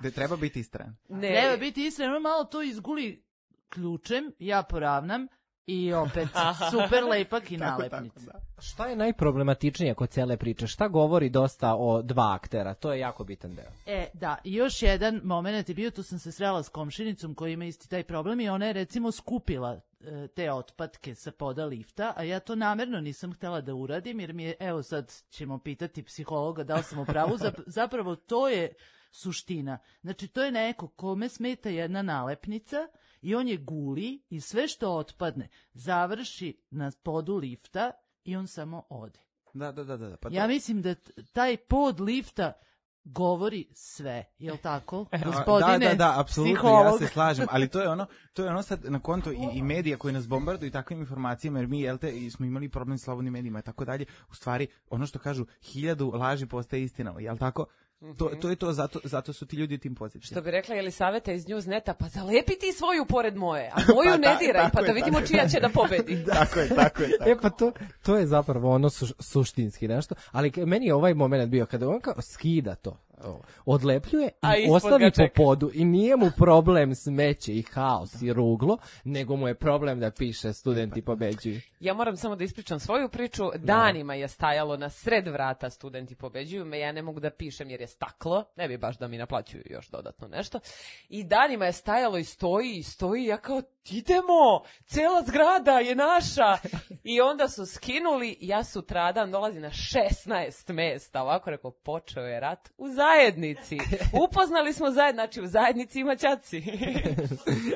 Da treba biti istran. Treba biti istran, ono malo to izguli ključem, ja poravnam, i opet super lepak i nalepnice. Šta je najproblematičnije kod cele priče? Šta govori dosta o dva aktera? To je jako bitan deo. Da, i još jedan moment je bio, tu sam se srela s komšinicom koja ima isti taj problem i ona je recimo skupila te otpadke sa poda lifta, a ja to namerno nisam htela da uradim, jer mi je, evo sad ćemo pitati psihologa da li sam u pravu, zapravo to je suština. Znači, to je neko kome smeta jedna nalepnica i on je guli i sve što otpadne završi na podu lifta i on samo ode. Da. Pa ja mislim da taj pod lifta govori sve, jel tako, gospodine? Da, apsolutno, psiholog. Ja se slažem, ali to je ono sad na konto i medija koji nas bombarduju takvim informacijama, jer mi, smo imali problem s slobodnim medijima i tako dalje, u stvari, ono što kažu, 1000 laži postaje istina, jel tako? To je to, zato su ti ljudi tim pozitivni. Što bi rekla Jelisaveta iz Newsneta, pa zalepi ti svoju pored moje, a moju ne diraj, pa da vidimo čija će da pobedi. Tako je. Pa to je zapravo ono suštinski nešto, ali meni je ovaj moment bio kada on kao skida to, odlepljuje i ostavi po podu i nije mu problem smeće i haos i ruglo, nego mu je problem da piše studenti pobeđuju. Ja moram samo da ispričam svoju priču. Danima je stajalo na sred vrata studenti pobeđuju, ja ne mogu da pišem jer je staklo, ne bi baš da mi naplaćuju još dodatno nešto. I danima je stajalo i stoji, ja kao idemo, cela zgrada je naša. I onda su skinuli, ja sutradan dolazim na 16 mesta, ovako rekao, počeo je rat u zajednici. Upoznali smo znači u zajednici ima ćaci.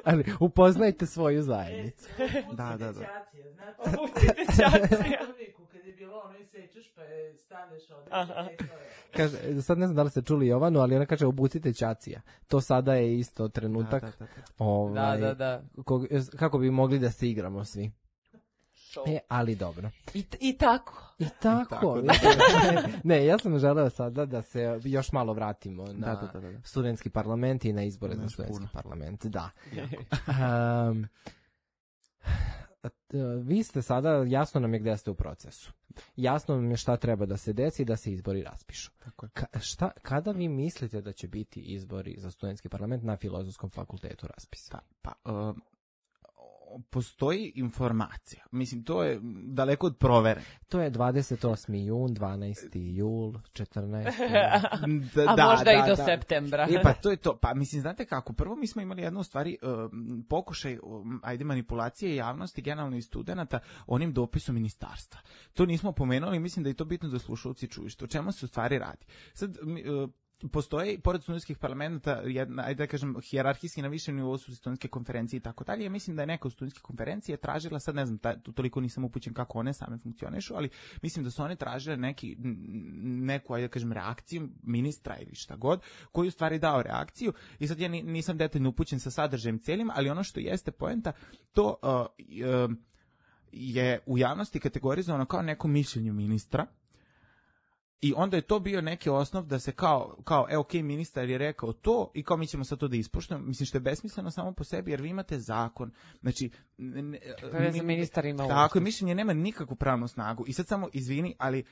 Ali upoznajte svoju zajednicu. Da. Uputite ćacija. Kad je bilo ono i sečeš pa staneš Kaže, sad ne znam da li ste čuli Jovanu, ali ona kaže obucite ćacija. To sada je isto trenutak. Da. Kako bi mogli da se igramo svi. Ali dobro. I tako. Ne, ja sam želeo sada da se još malo vratimo na studentski parlament i na izbore za studentski parlament. Da. Vi ste sada, jasno nam je gde ste u procesu. Jasno nam je šta treba da se desi i da se izbori raspišu. Kada vi mislite da će biti izbori za studentski parlament na Filozofskom fakultetu raspisani? Postoji informacija. Mislim, to je daleko od provere. To je 28. jun, 12. jul, 14. A možda i do septembra. Pa to je to. Pa mislim, znate kako, prvo mi smo imali jednu stvari, pokušaj, manipulacije javnosti, generalno i studenta, onim dopisom ministarstva. To nismo pomenuli, mislim da je to bitno da slušalci čuju. O čemu se u stvari radi? Sad, postoji, pored studentskih parlamenta, ajde da kažem, hijerarhijski na višem nivou su studentske konferencije i tako dalje. Ja mislim da je neka od studentske konferencije tražila, sad ne znam, toliko nisam upućen kako one same funkcionišu, ali mislim da su one tražile neku, ajde da kažem, reakciju ministra ili šta god, koji u stvari dao reakciju i sad ja nisam detaljno upućen sa sadržajem cijelim, ali ono što jeste poenta, to je u javnosti kategorizovano kao neko mišljenje ministra. I onda je to bio neki osnov da se kao ministar je rekao to i kao mi ćemo sad to da ispoštujemo. Mislim što je besmisleno samo po sebi jer vi imate zakon. Znači, ministar ima tako, mišljenje nema nikakvu pravnu snagu. I sad samo izvini, ali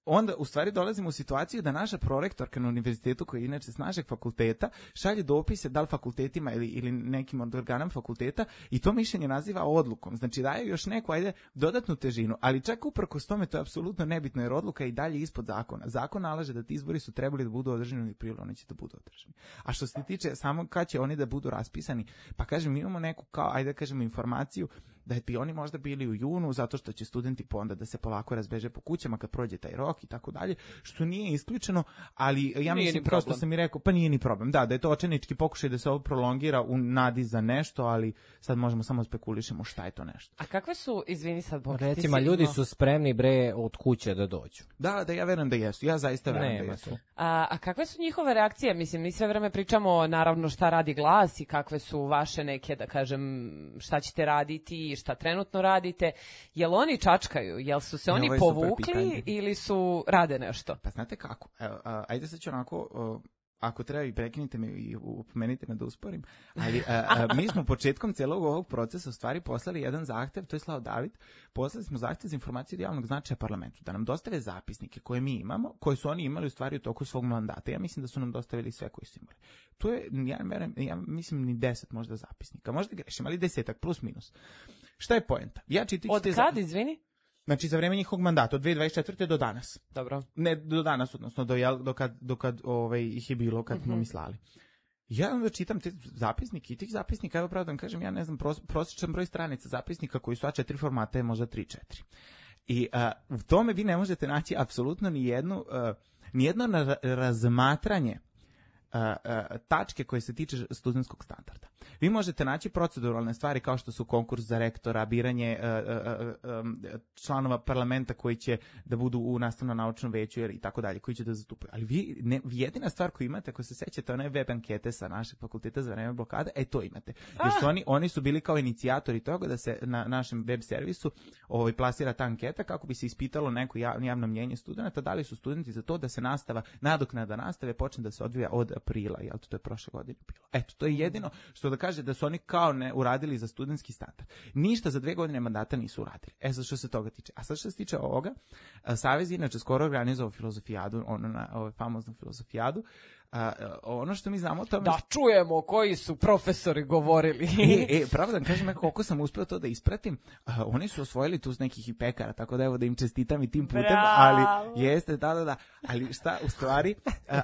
onda u stvari dolazimo u situaciju da naša prorektorka na univerzitetu, koja je inače s našeg fakulteta, šalje dopise da li fakultetima ili nekim od organom fakulteta i to mišljenje naziva odlukom. Znači daje još neku, dodatnu težinu, ali čak uprkos tome to je apsolutno nebitno jer odluka je i dalje ispod zakona. Zakon nalaže da ti izbori su trebali da budu održani u aprilu, oni će da budu održani. A što se tiče samo kad će oni da budu raspisani, pa kažem, mi imamo neku kao, informaciju da bi oni možda bili u junu zato što će studenti onda da se polako razbeže po kućama kad prođe taj rok i tako dalje, što nije isključeno, ali ja mislim kao što sam i rekao, pa nije ni problem. Da je to očajnički pokušaj da se ovo prolongira u nadi za nešto, ali sad možemo samo spekulišemo šta je to nešto. A kakve su, izvini sad, recimo, ljudi su spremni od kuće da dođu. Da, ja verujem da jesu. Ja zaista verujem da jesu. A kakve su njihove reakcije? Mislim, mi sve vreme pričamo naravno šta radi Glas i kakve su vaše neke, da kažem, šta ćete raditi, šta trenutno radite. Jel oni čačkaju? Jel su se oni povukli ili su rade nešto? Pa znate kako? Evo, ajde sad ću onako, ako treba i prekinite me i upomenite me da usporim, ali mi smo početkom celog ovog procesa u stvari poslali jedan zahtev, to je slao David, poslali smo zahtev za informaciju od javnog značaja parlamentu, da nam dostave zapisnike koje mi imamo, koje su oni imali u stvari u toku svog mandata. Ja mislim da su nam dostavili sve koji su imali. To je, ja mislim, ni 10 možda zapisnika, možda grešim, ali 10 plus minus. Šta je poenta? Od kad, izvini? Znači, za vreme njihovog mandata, od 2024. do danas. Dobro. Ne do danas, odnosno do kad ih je bilo, kad smo mislali. Ja onda čitam te zapisnike i tih zapisnika, evo pravo da vam kažem, ja ne znam, prosječan broj stranica zapisnika koji su A4 formata je možda 3-4. I u tome vi ne možete naći apsolutno nijedno razmatranje tačke koje se tiče studentskog standarda. Vi možete naći proceduralne stvari kao što su konkurs za rektora, biranje članova parlamenta koji će da budu u nastavno-naučnom veću i tako dalje, koji će da zastupaju. Ali jedina stvar koju imate, ako se sećate, one web ankete sa našeg fakulteta za vreme blokade, to imate. Jer su oni su bili kao inicijatori toga da se na našem web servisu plasira ta anketa kako bi se ispitalo neko javno mnjenje studenta, da li su studenti za to da se nadoknada nastave počne da se odvija od aprila, jel to je prošle godine bilo. Eto, to je jedino što da kaže da su oni kao ne uradili za studentski standard. Ništa za 2 godine mandata nisu uradili. Sad što se toga tiče. A sad što se tiče ovoga, Savez inače skoro organizovao filozofijadu, famoznu filozofijadu. Ono što mi znamo o tome... Da čujemo koji su profesori govorili. Pravo da kažem, koliko sam uspeo to da ispratim, oni su osvojili tu s nekih i pekara, tako da evo da im čestitam i tim putem, ali jeste, da. Ali šta, u stvari,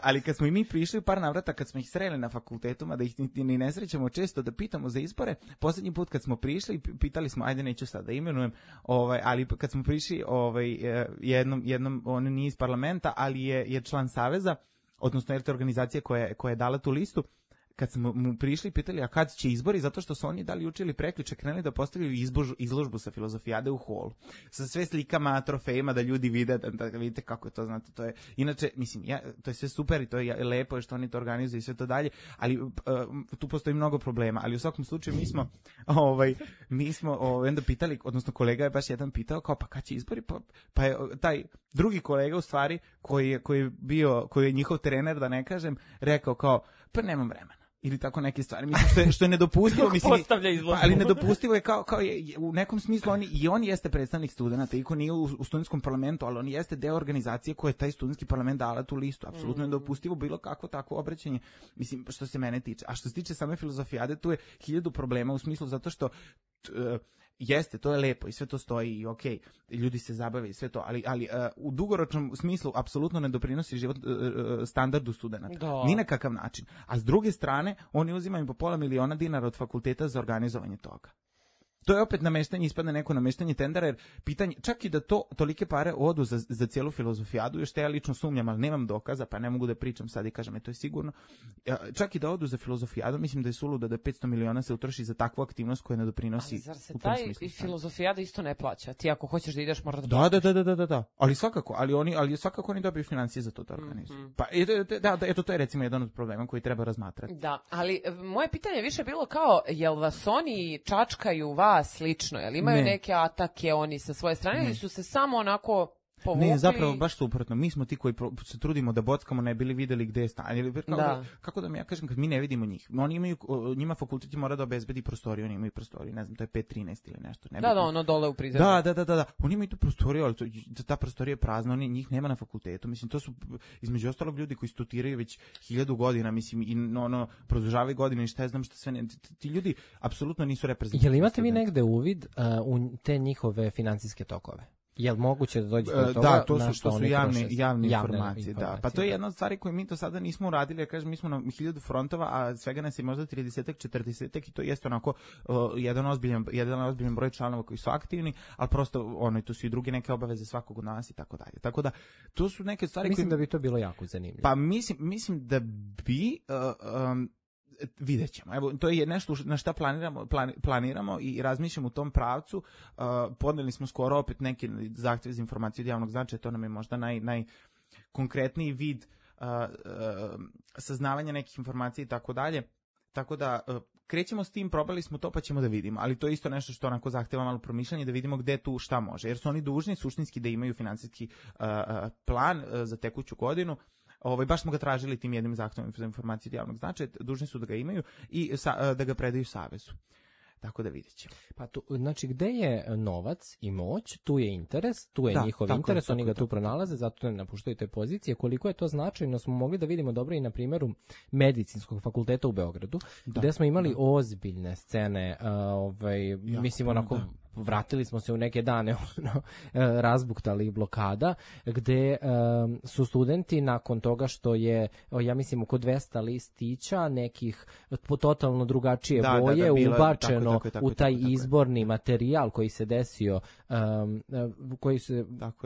ali kad smo i mi prišli par navrata, kad smo ih sreli na fakultetu, da ih ni ne srećemo često da pitamo za izbore, posljednji put kad smo prišli, pitali smo, ajde neću sad da imenujem, ali kad smo prišli jednom, on nije iz parlamenta, ali je član Saveza, odnosno je to organizacija koja je dala tu listu, kad smo mu prišli i pitali, a kad će izbori, zato što su oni dali juče ili prekjuče krenuli da postavljaju izložbu sa filozofijade u holu. Sa sve slikama, trofejima, da ljudi vide, da vidite kako je to, znate, to je, inače, mislim, to je sve super i to je lepo što oni to organizuju i sve to dalje, ali tu postoji mnogo problema, ali u svakom slučaju mi smo onda pitali, odnosno kolega je baš jedan pitao, kao, pa kad će izbori, pa je taj drugi kolega u stvari, koji je njihov trener, da ne kažem, rekao kao, pa nemam vremena. Ili tako neke stvari. Mislim, što je nedopustivo. Ali nedopustivo je kao u nekom smislu on jeste predstavnik studenta, iako nije u studentskom parlamentu, ali on jeste deo organizacije koje je taj studentski parlament dala tu listu. Apsolutno je nedopustivo bilo kakvo takvo obraćanje, mislim, što se mene tiče. A što se tiče same filozofijade, tu je 1000 problema u smislu zato što jeste, to je lepo i sve to stoji i okej, ljudi se zabave i sve to, ali u dugoročnom smislu apsolutno ne doprinosi život standardu studenta. Ni na kakav način. A s druge strane, oni uzimaju po $500,000 dinara od fakulteta za organizovanje toga. To je opet nameštanje, ispadne neko nameštanje tendera, jer pitanje, čak i da to tolike pare odu za cijelu filozofijadu, još te ja lično sumnjam, ali nemam dokaza, pa ne mogu da pričam sad i kažem, to je sigurno. Čak i da odu za filozofijadu, mislim da je suludo da 500 miliona se utroši za takvu aktivnost koja ne doprinosi. Ali zar se taj filozofijada isto ne plaća? Ti ako hoćeš da ideš, moraš da plaćaš. Da. Ali svakako oni dobiju financije za to da organizuju. Pa eto, to je recimo jedan od problema koji treba razmatrati. Da, ali moje pitanje je više bilo kao, jel vas oni čačkaju vas lično, jel imaju neke atake oni sa svoje strane ili su se samo onako povukli? Ne, zapravo baš suprotno. Mi smo ti koji se trudimo da bockamo, ne bili videli gde je stanje. Kako da mi ja kažem, kad mi ne vidimo njih. Njima fakultet mora da obezbedi prostoriju, oni imaju prostoriju, ne znam, to je 513 ili nešto. Da, ono dole u prizemlju. Da. Oni imaju tu prostoriju, ali ta prostorija je prazna, njih nema na fakultetu. Mislim, to su između ostalog ljudi koji studiraju već 1000 godina, mislim, i produžavaju godine i šta ja znam šta sve ne. Ti ljudi apsolutno nisu reprezentativni. Jel imate vi negde uvid u te njihove financijske tokove? Jel moguće da dođete do toga? Da, to su javne informacije. Da. Pa to je jedna od stvari koje mi do sada nismo uradili, jer kažem, mi smo na 1000 frontova, a svega nas je možda 30-40 i to jeste onako jedan ozbiljan broj članova koji su aktivni, ali prosto tu su i druge neke obaveze svakog od nas i tako dalje. Tako da, to su neke stvari Mislim da bi to bilo jako zanimljivo. Pa mislim da bi... vidjet ćemo. Evo, to je nešto na šta planiramo i razmišljamo u tom pravcu. Podneli smo skoro opet neke zahtjeve za informaciju od javnog značaja, to nam je možda najkonkretniji vid saznavanja nekih informacija i tako dalje. Tako da krećemo s tim, probali smo to pa ćemo da vidimo, ali to je isto nešto što onako zahteva malo promišljanje da vidimo gde tu šta može, jer su oni dužni suštinski da imaju finansijski plan za tekuću godinu. Baš smo ga tražili tim jednim zahtevom za informacije od javnog značaja, dužni su da ga imaju i da ga predaju Savezu. Tako da vidjet ćemo. Pa znači, gde je novac i moć, tu je interes, tu je njihov interes, oni ga tu pronalaze, zato ne napuštaju te pozicije. Koliko je to značajno smo mogli da vidimo dobro i na primjeru Medicinskog fakulteta u Beogradu, gde smo imali ozbiljne scene, mislim onako... Vratili smo se u neke dane razbuktali blokada, gde su studenti nakon toga što je, ja mislim, oko 200 listića nekih totalno drugačije boje ubačeno u taj izborni materijal koji se desio,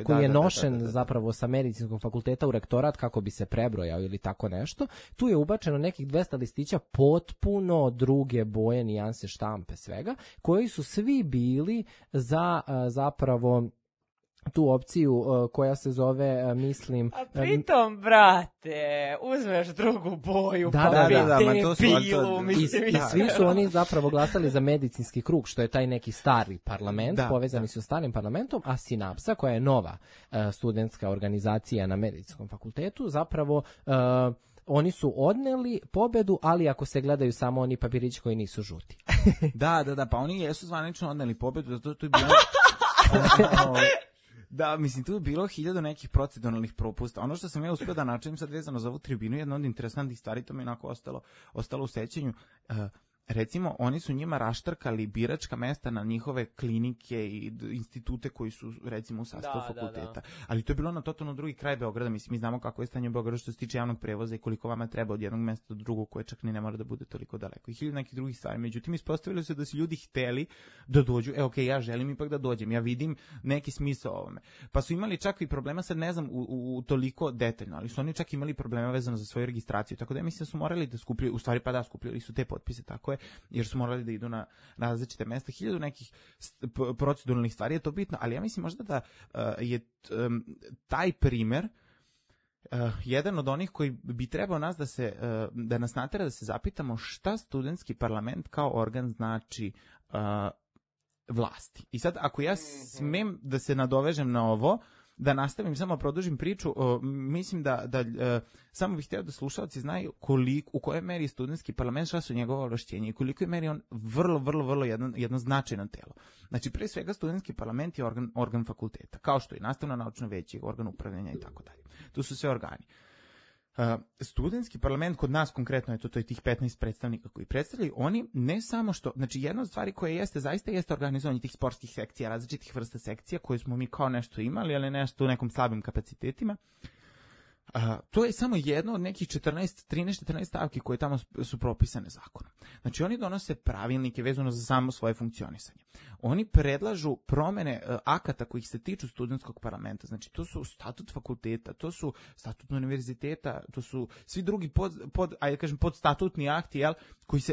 koji je nošen zapravo sa Medicinskog fakulteta u rektorat kako bi se prebrojao ili tako nešto. Tu je ubačeno nekih 200 listića potpuno druge boje, nijanse, štampe, svega, koji su svi bili za zapravo tu opciju koja se zove, mislim... A pritom, brate, uzmeš drugu boju, debilu, mislim... I svi su oni zapravo glasali za medicinski krug, što je taj neki stari parlament, povezani su starim parlamentom, a Sinapsa, koja je nova studentska organizacija na Medicinskom fakultetu, zapravo... oni su odneli pobedu, ali ako se gledaju samo oni papirići koji nisu žuti. Da, pa oni jesu zvanično odneli pobedu, zato to je bilo... Da, mislim, tu je bilo 1000 nekih proceduralnih propusta. Ono što sam ja uspio da načujem sad vezano za ovu tribinu, jedna od interesantnih stvari, to mi je onako ostalo u sećanju. Recimo, oni su njima raštrkali biračka mesta na njihove klinike i institute koji su, recimo, u sastavu fakulteta. Da. Ali to je bilo na totalno drugi kraj Beograda. Mislim, mi znamo kako je stanje u Beogradu što se tiče javnog prevoza i koliko vama treba od jednog mesta do drugog, koje čak ni ne mora da bude toliko daleko. I 1000 nekih drugih stvari. Međutim, ispostavilo se da su ljudi hteli da dođu. Ja želim ipak da dođem. Ja vidim neki smisao ovome. Pa su imali čak i problema, sad ne znam u toliko detaljno, ali su oni čak imali problema vezano za svoju registraciju. Tako da mislim da su morali da skupljaju, u stvari skupljali su te potpise, tako je, jer su morali da idu na različite mesta. 1000 nekih proceduralnih stvari je to bitno, ali ja mislim možda da je taj primer jedan od onih koji bi trebao nas da nas natera da se zapitamo šta studentski parlament kao organ znači vlasti. I sad, ako ja smem da se nadovežem na ovo, da nastavim, samo produžim priču, mislim da samo bih htio da slušalci znaju u kojoj meri je studentski parlament, šta su njegove ovlašćenja i koliko je meri on vrlo jedno značajno telo. Znači, pre svega studentski parlament je organ fakulteta, kao što je nastavno naučno veće, organ upravljanja i tako dalje. Tu su sve organi. Studentski parlament kod nas konkretno to je tih 15 predstavnika koji predstavljaju, oni ne samo što, znači jedna od stvari koja zaista jeste organizovanje tih sportskih sekcija, različitih vrsta sekcija koje smo mi kao nešto imali, ali nešto u nekom slabim kapacitetima. To je samo jedno od nekih 13-14 stavki koje tamo su propisane zakonom. Znači, oni donose pravilnike vezano za samo svoje funkcionisanje. Oni predlažu promene akata koji se tiču studentskog parlamenta. Znači, to su statut fakulteta, to su statut univerziteta, to su svi drugi podstatutni akti, jel,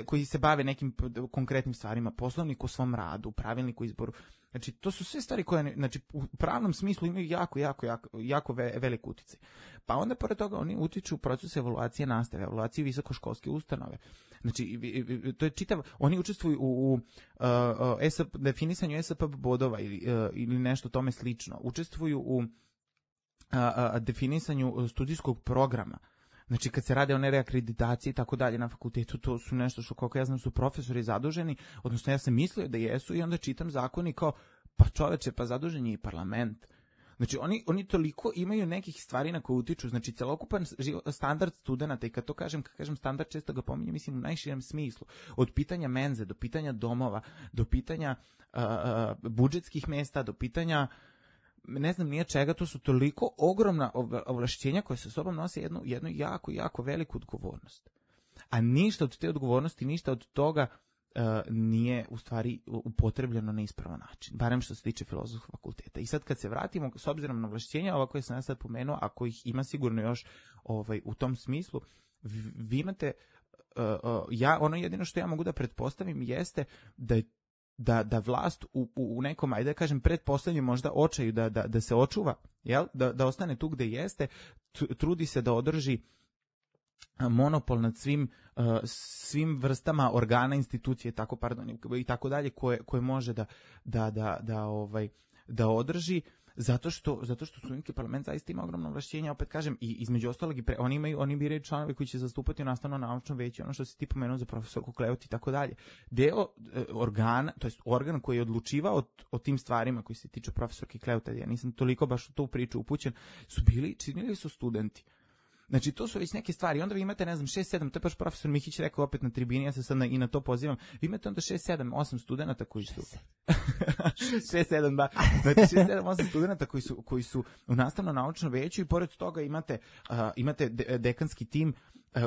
koji se bave nekim konkretnim stvarima, poslovnik o svom radu, pravilnik o izboru. Znači, to su sve stvari koje, znači, u pravnom smislu imaju jako velik uticaj. Pa onda, pored toga, oni utiču u proces evaluacije nastave, evaluacije visokoškolske ustanove. Znači, to je oni učestvuju u definisanju SAP bodova ili nešto tome slično. Učestvuju u definisanju studijskog programa. Znači, kad se rade o nereakreditaciji i tako dalje na fakultetu, to su nešto što, koliko ja znam, su profesori zaduženi, odnosno ja sam mislio da jesu i onda čitam zakon i kao, pa čoveče, pa zadužen je i parlament. Znači, oni toliko imaju nekih stvari na koje utiču, znači, celokupan standard studenta, i kad kažem standard, često ga pominjem, mislim, u najširem smislu, od pitanja menze, do pitanja domova, do pitanja budžetskih mesta, do pitanja ne znam nije čega, to su toliko ogromna ovlašćenja koje sa sobom nose jednu jako veliku odgovornost. A ništa od te odgovornosti, ništa od toga nije u stvari upotrebljeno na ispravan način, barem što se tiče filozofskog fakulteta. I sad kad se vratimo, s obzirom na ovlašćenja, ova koje sam ja sad pomenuo, a kojih ima sigurno još u tom smislu, vi imate, ono jedino što ja mogu da pretpostavim jeste da vlast u nekom, ajde da kažem, pretpostavljanju možda očaju da se očuva, jel? Da ostane tu gde jeste, trudi se da održi monopol nad svim vrstama organa, institucije, i tako dalje, koje može da održi, zato što studentski parlament zaista ima ogromno ovlašćenja, opet kažem, i između ostalog oni biraju članove koji će zastupati u nastavno-naučnom veću, ono što se ti pomenuo za profesorku Kleut i tako dalje. Deo organa, to jest organ koji je odlučivao o tim stvarima koji se tiču profesorke Kleut, ja nisam toliko baš u tu priču upućen, činili su studenti. Znači, to su već neke stvari. Onda vi imate, ne znam, 6-7, to je baš profesor Mihić rekao opet na tribini, ja se sad i na to pozivam. Vi imate onda 6-7-8 studenta koji su... 6-7, da. Znači, 6-7-8 studenta koji su u nastavno-naučnom veću i pored toga imate dekanski tim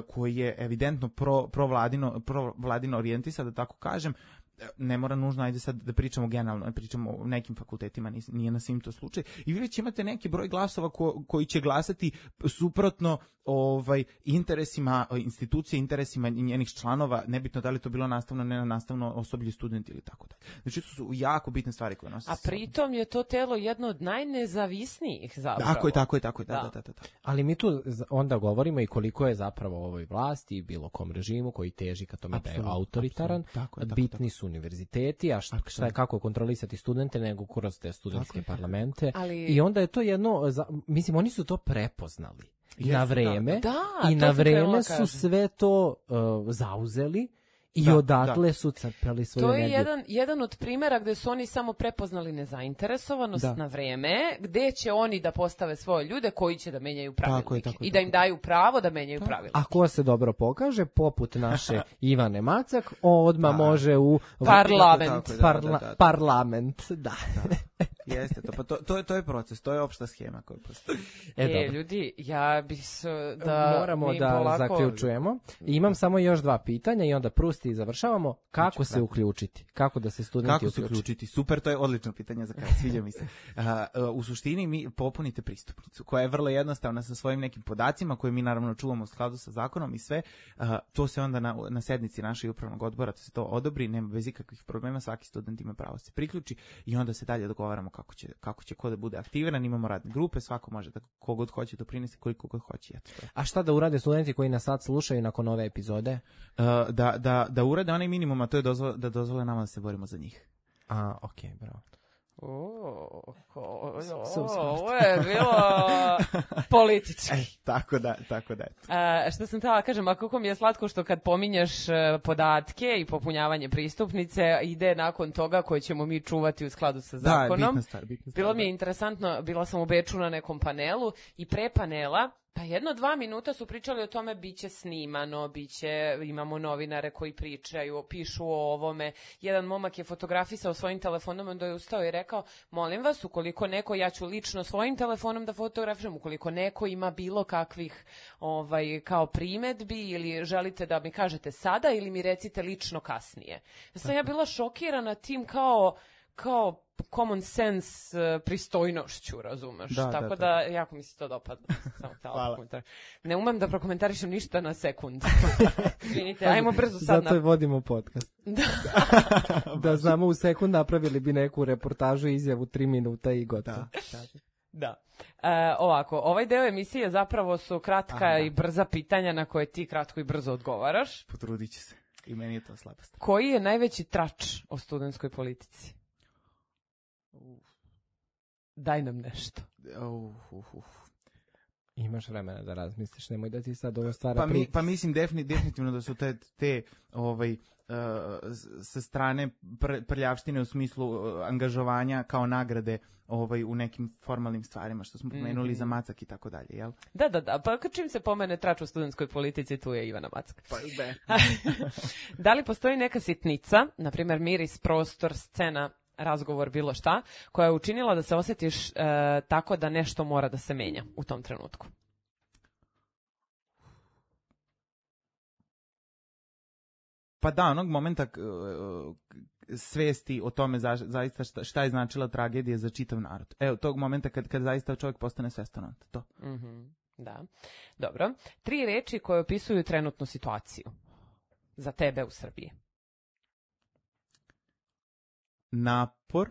koji je evidentno provladino orijentisan, da tako kažem. Ne mora nužno, ajde sad da pričamo generalno, ne pričamo o nekim fakultetima, nije na svim to slučaj. I vi već imate neki broj glasova koji će glasati suprotno interesima institucije, interesima njenih članova, nebitno da li to bilo nastavno, ne nastavno osoblje, studenti ili tako dalje. Znači, to su jako bitne stvari koje nose. A pritom je to telo jedno od najnezavisnijih zapravo. Tako je, da. Ali mi tu onda govorimo i koliko je zapravo ovoj vlasti i bilo kom režimu koji teži ka tome da je autoritaran, bitni su univerziteti, a kako kontrolisati studente nego kroz te studentske parlamente. I onda je to jedno, mislim, oni su to prepoznali na vreme i na vreme su sve to zauzeli i odatle su crpeli svoju energiju. To je jedan od primjera gde su oni samo prepoznali nezainteresovanost na vreme, gde će oni da postave svoje ljude koji će da menjaju pravilnike i da im daju pravo da menjaju pravilnike. A ko se dobro pokaže, poput naše Ivane Macak, odmah može u parlament. Da. Jeste, to je proces, to je opšta schema koja postoji. Ljudi, ja bih da moramo da zaključujemo. Imam samo još 2 pitanja i onda prusti i završavamo. Kako se uključiti? Kako da se studenti uključiti? Super, to je odlično pitanje za kraj, sviđa mi se. U suštini mi popunite pristupnicu, koja je vrlo jednostavna sa svojim nekim podacima, koje mi naravno čuvamo u skladu sa zakonom i sve. To se onda na sednici našeg upravnog odbora to se to odobri, nema bez ikakvih problema, svaki student ima pravo se priključi i onda se dalje dogovaramo kako će ko da bude aktiviran, imamo radne grupe, svako može da kogod hoće doprinese koliko god hoće. A šta da urade studenti koji nas sad slušaju nakon ove epizode? Da urade onaj minimum, a to je da dozvole nama da se borimo za njih. Okej, bravo. Ovo je bilo politički. Tako da. Što sam htjela kažem, a kako mi je slatko što kad pominješ podatke i popunjavanje pristupnice, ide nakon toga koje ćemo mi čuvati u skladu sa zakonom. Bitna stvar. Bilo mi je interesantno, bila sam u Beču na nekom panelu i pre panela Pa 1-2 minuta su pričali o tome biće snimano, imamo novinare koji pišu o ovome. Jedan momak je fotografisao svojim telefonom, onda je ustao i rekao, molim vas, ukoliko neko, ja ću lično svojim telefonom da fotografišem, ukoliko neko ima bilo kakvih kao primedbi ili želite da mi kažete sada ili mi recite lično kasnije. Sam ja bila šokirana tim kao common sense pristojnošću, razumeš? Tako da, jako mi se to dopadlo. Samo ne umem da prokomentarišem ništa na sekund. Izvinite, ajmo brzo sad. Zato vodimo podcast. Da znamo u sekund napravili bi neku reportažu, izjavu 3 minuta i gotovo. Da. Ovako, ovaj deo emisije zapravo su kratka i brza pitanja na koje ti kratko i brzo odgovaraš. Potrudit će se. I meni je to slabost. Koji je najveći trač o studentskoj politici? Daj nam nešto. Imaš vremena da razmisliš, nemoj da ti sad ovo stvara pritis. Pa mislim definitivno da su te sa strane prljavštine u smislu angažovanja kao nagrade u nekim formalnim stvarima, što smo pomenuli za Macak i tako dalje, jel? Da, pa čim se pomene trač u studentskoj politici, tu je Ivana Macak. Da li postoji neka sitnica, na primjer miris, prostor, scena, razgovor, bilo šta, koja je učinila da se osjetiš tako da nešto mora da se menja u tom trenutku? Pa da, onog momenta svesti o tome zaista šta je značila tragedija za čitav narod. Evo, tog momenta kad zaista čovjek postane svestan to. Da, dobro. 3 reči koje opisuju trenutnu situaciju za tebe u Srbiji. Napor,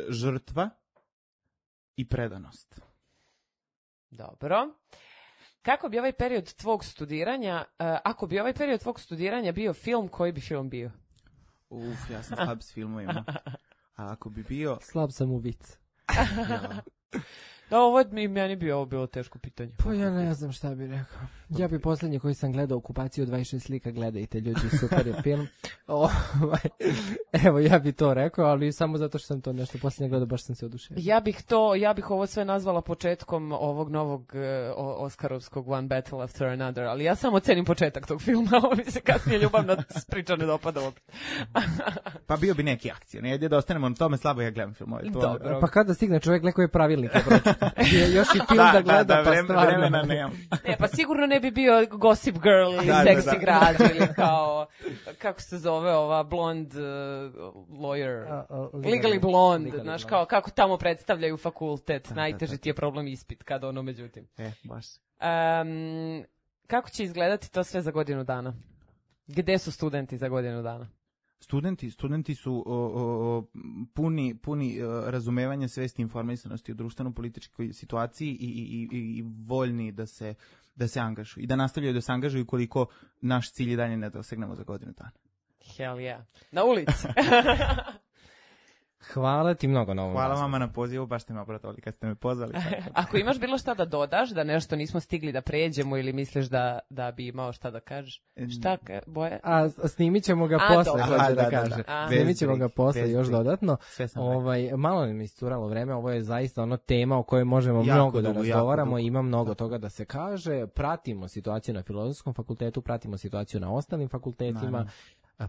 žrtva i predanost. Dobro. Kako bi ovaj period tvog studiranja, ako bi ovaj period tvog studiranja bio film, koji bi film bio? Ja sam slab s filmovima. A ako bi bio... Slab sam u vic. Da, ovo je meni bilo teško pitanje. Pa ja ne znam šta bi rekao. Ja bi posljednji koji sam gledao Okupaciju 26 slika, gledajte ljudi, super je film. Evo, ja bi to rekao, ali samo zato što sam to nešto posljednje gledao, baš sam se oduševio. Ja bih ovo sve nazvala početkom ovog novog Oskarovskog One Battle After Another, ali ja samo cenim početak tog filma, ovo mi se kasnije ljubavna priča ne dopada opet. Pa bio bi neki akcija, ne da ostanemo na tome, slabo ja gledam filmove. Dobro. Pa kada stigne čovjek, neko je pravilnik, još i film da gleda, pa stvarno. Ne, pa sigurno ne bi bio Gossip Girl ili Sexy Grad ili kao, kako se zove ova blond lawyer, Legally Blonde, znaš, kao kako tamo predstavljaju fakultet, najteži ti je problem ispit kada međutim. Baš. Kako će izgledati to sve za godinu dana? Gde su studenti za godinu dana? Studenti su puni razumevanja, svesti, informisanosti o društveno-političkoj situaciji i voljni da se angažuju i da nastavljaju da se angažuju koliko naš cilj i dalje ne dosegnemo za godinu dana. Hell yeah. Na ulici. Hvala ti mnogo na ovom. Hvala vama na pozivu, baš ste me obradovali kad ste me pozvali. Ako imaš bilo šta da dodaš, da nešto nismo stigli da pređemo ili misliš da bi imao šta da kažeš? Šta, Boje? Snimit ćemo ga posle, hoće da kaže. Snimit ćemo ga posle još dodatno. Malo nam je iscuralo vreme, ovo je zaista tema o kojoj možemo mnogo da razgovaramo, ima mnogo toga da se kaže. Pratimo situaciju na Filozofskom fakultetu, pratimo situaciju na ostalim fakultetima.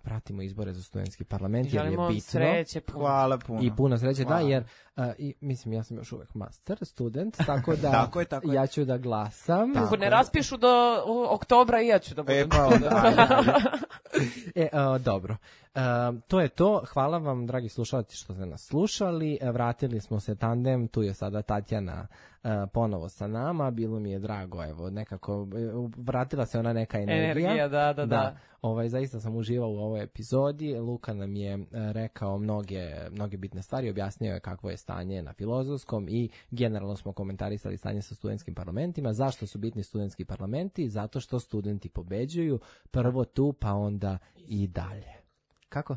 Pratimo izbore za studentski parlament, jer je bitno. Sreće, hvala puno. I puno sreće, hvala. Da, jer mislim, ja sam još uvek master student, tako da tako je. Ja ću da glasam. Ako ne raspišu do oktobra i ja ću da budem. Dobro. To je to. Hvala vam, dragi slušalci, što ste nas slušali. Vratili smo se tandem, tu je sada Tatjana ponovo sa nama. Bilo mi je drago, evo, nekako vratila se ona neka energija. Da. Zaista sam uživao u ovoj epizodi. Luka nam je rekao mnoge bitne stvari, objasnio je kakvo je stanje na Filozofskom i generalno smo komentarisali stanje sa studentskim parlamentima. Zašto su bitni studentski parlamenti? Zato što studenti pobeđuju prvo tu, pa onda i dalje. Kako?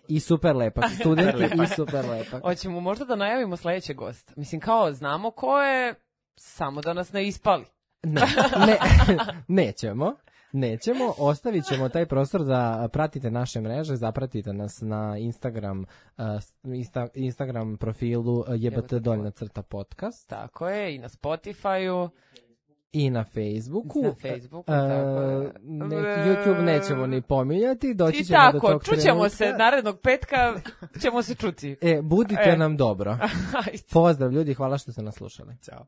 I super lepak. Studenti i super lepak. Hoćemo možda da najavimo sljedećeg gosta. Mislim, kao znamo ko je, samo da nas ne ispali. Nećemo. Nećemo, ostavit ćemo taj prostor da pratite naše mreže, zapratite nas na Instagram profilu JBT_podcast. Tako je, i na Spotify-u. I na Facebooku. Tako je. YouTube nećemo ni pominjati, doći I ćemo do tako, tog čućemo trenutka. se narednog petka, ćemo se čuti. Budite nam dobro. Pozdrav ljudi, hvala što ste nas slušali. Ćao.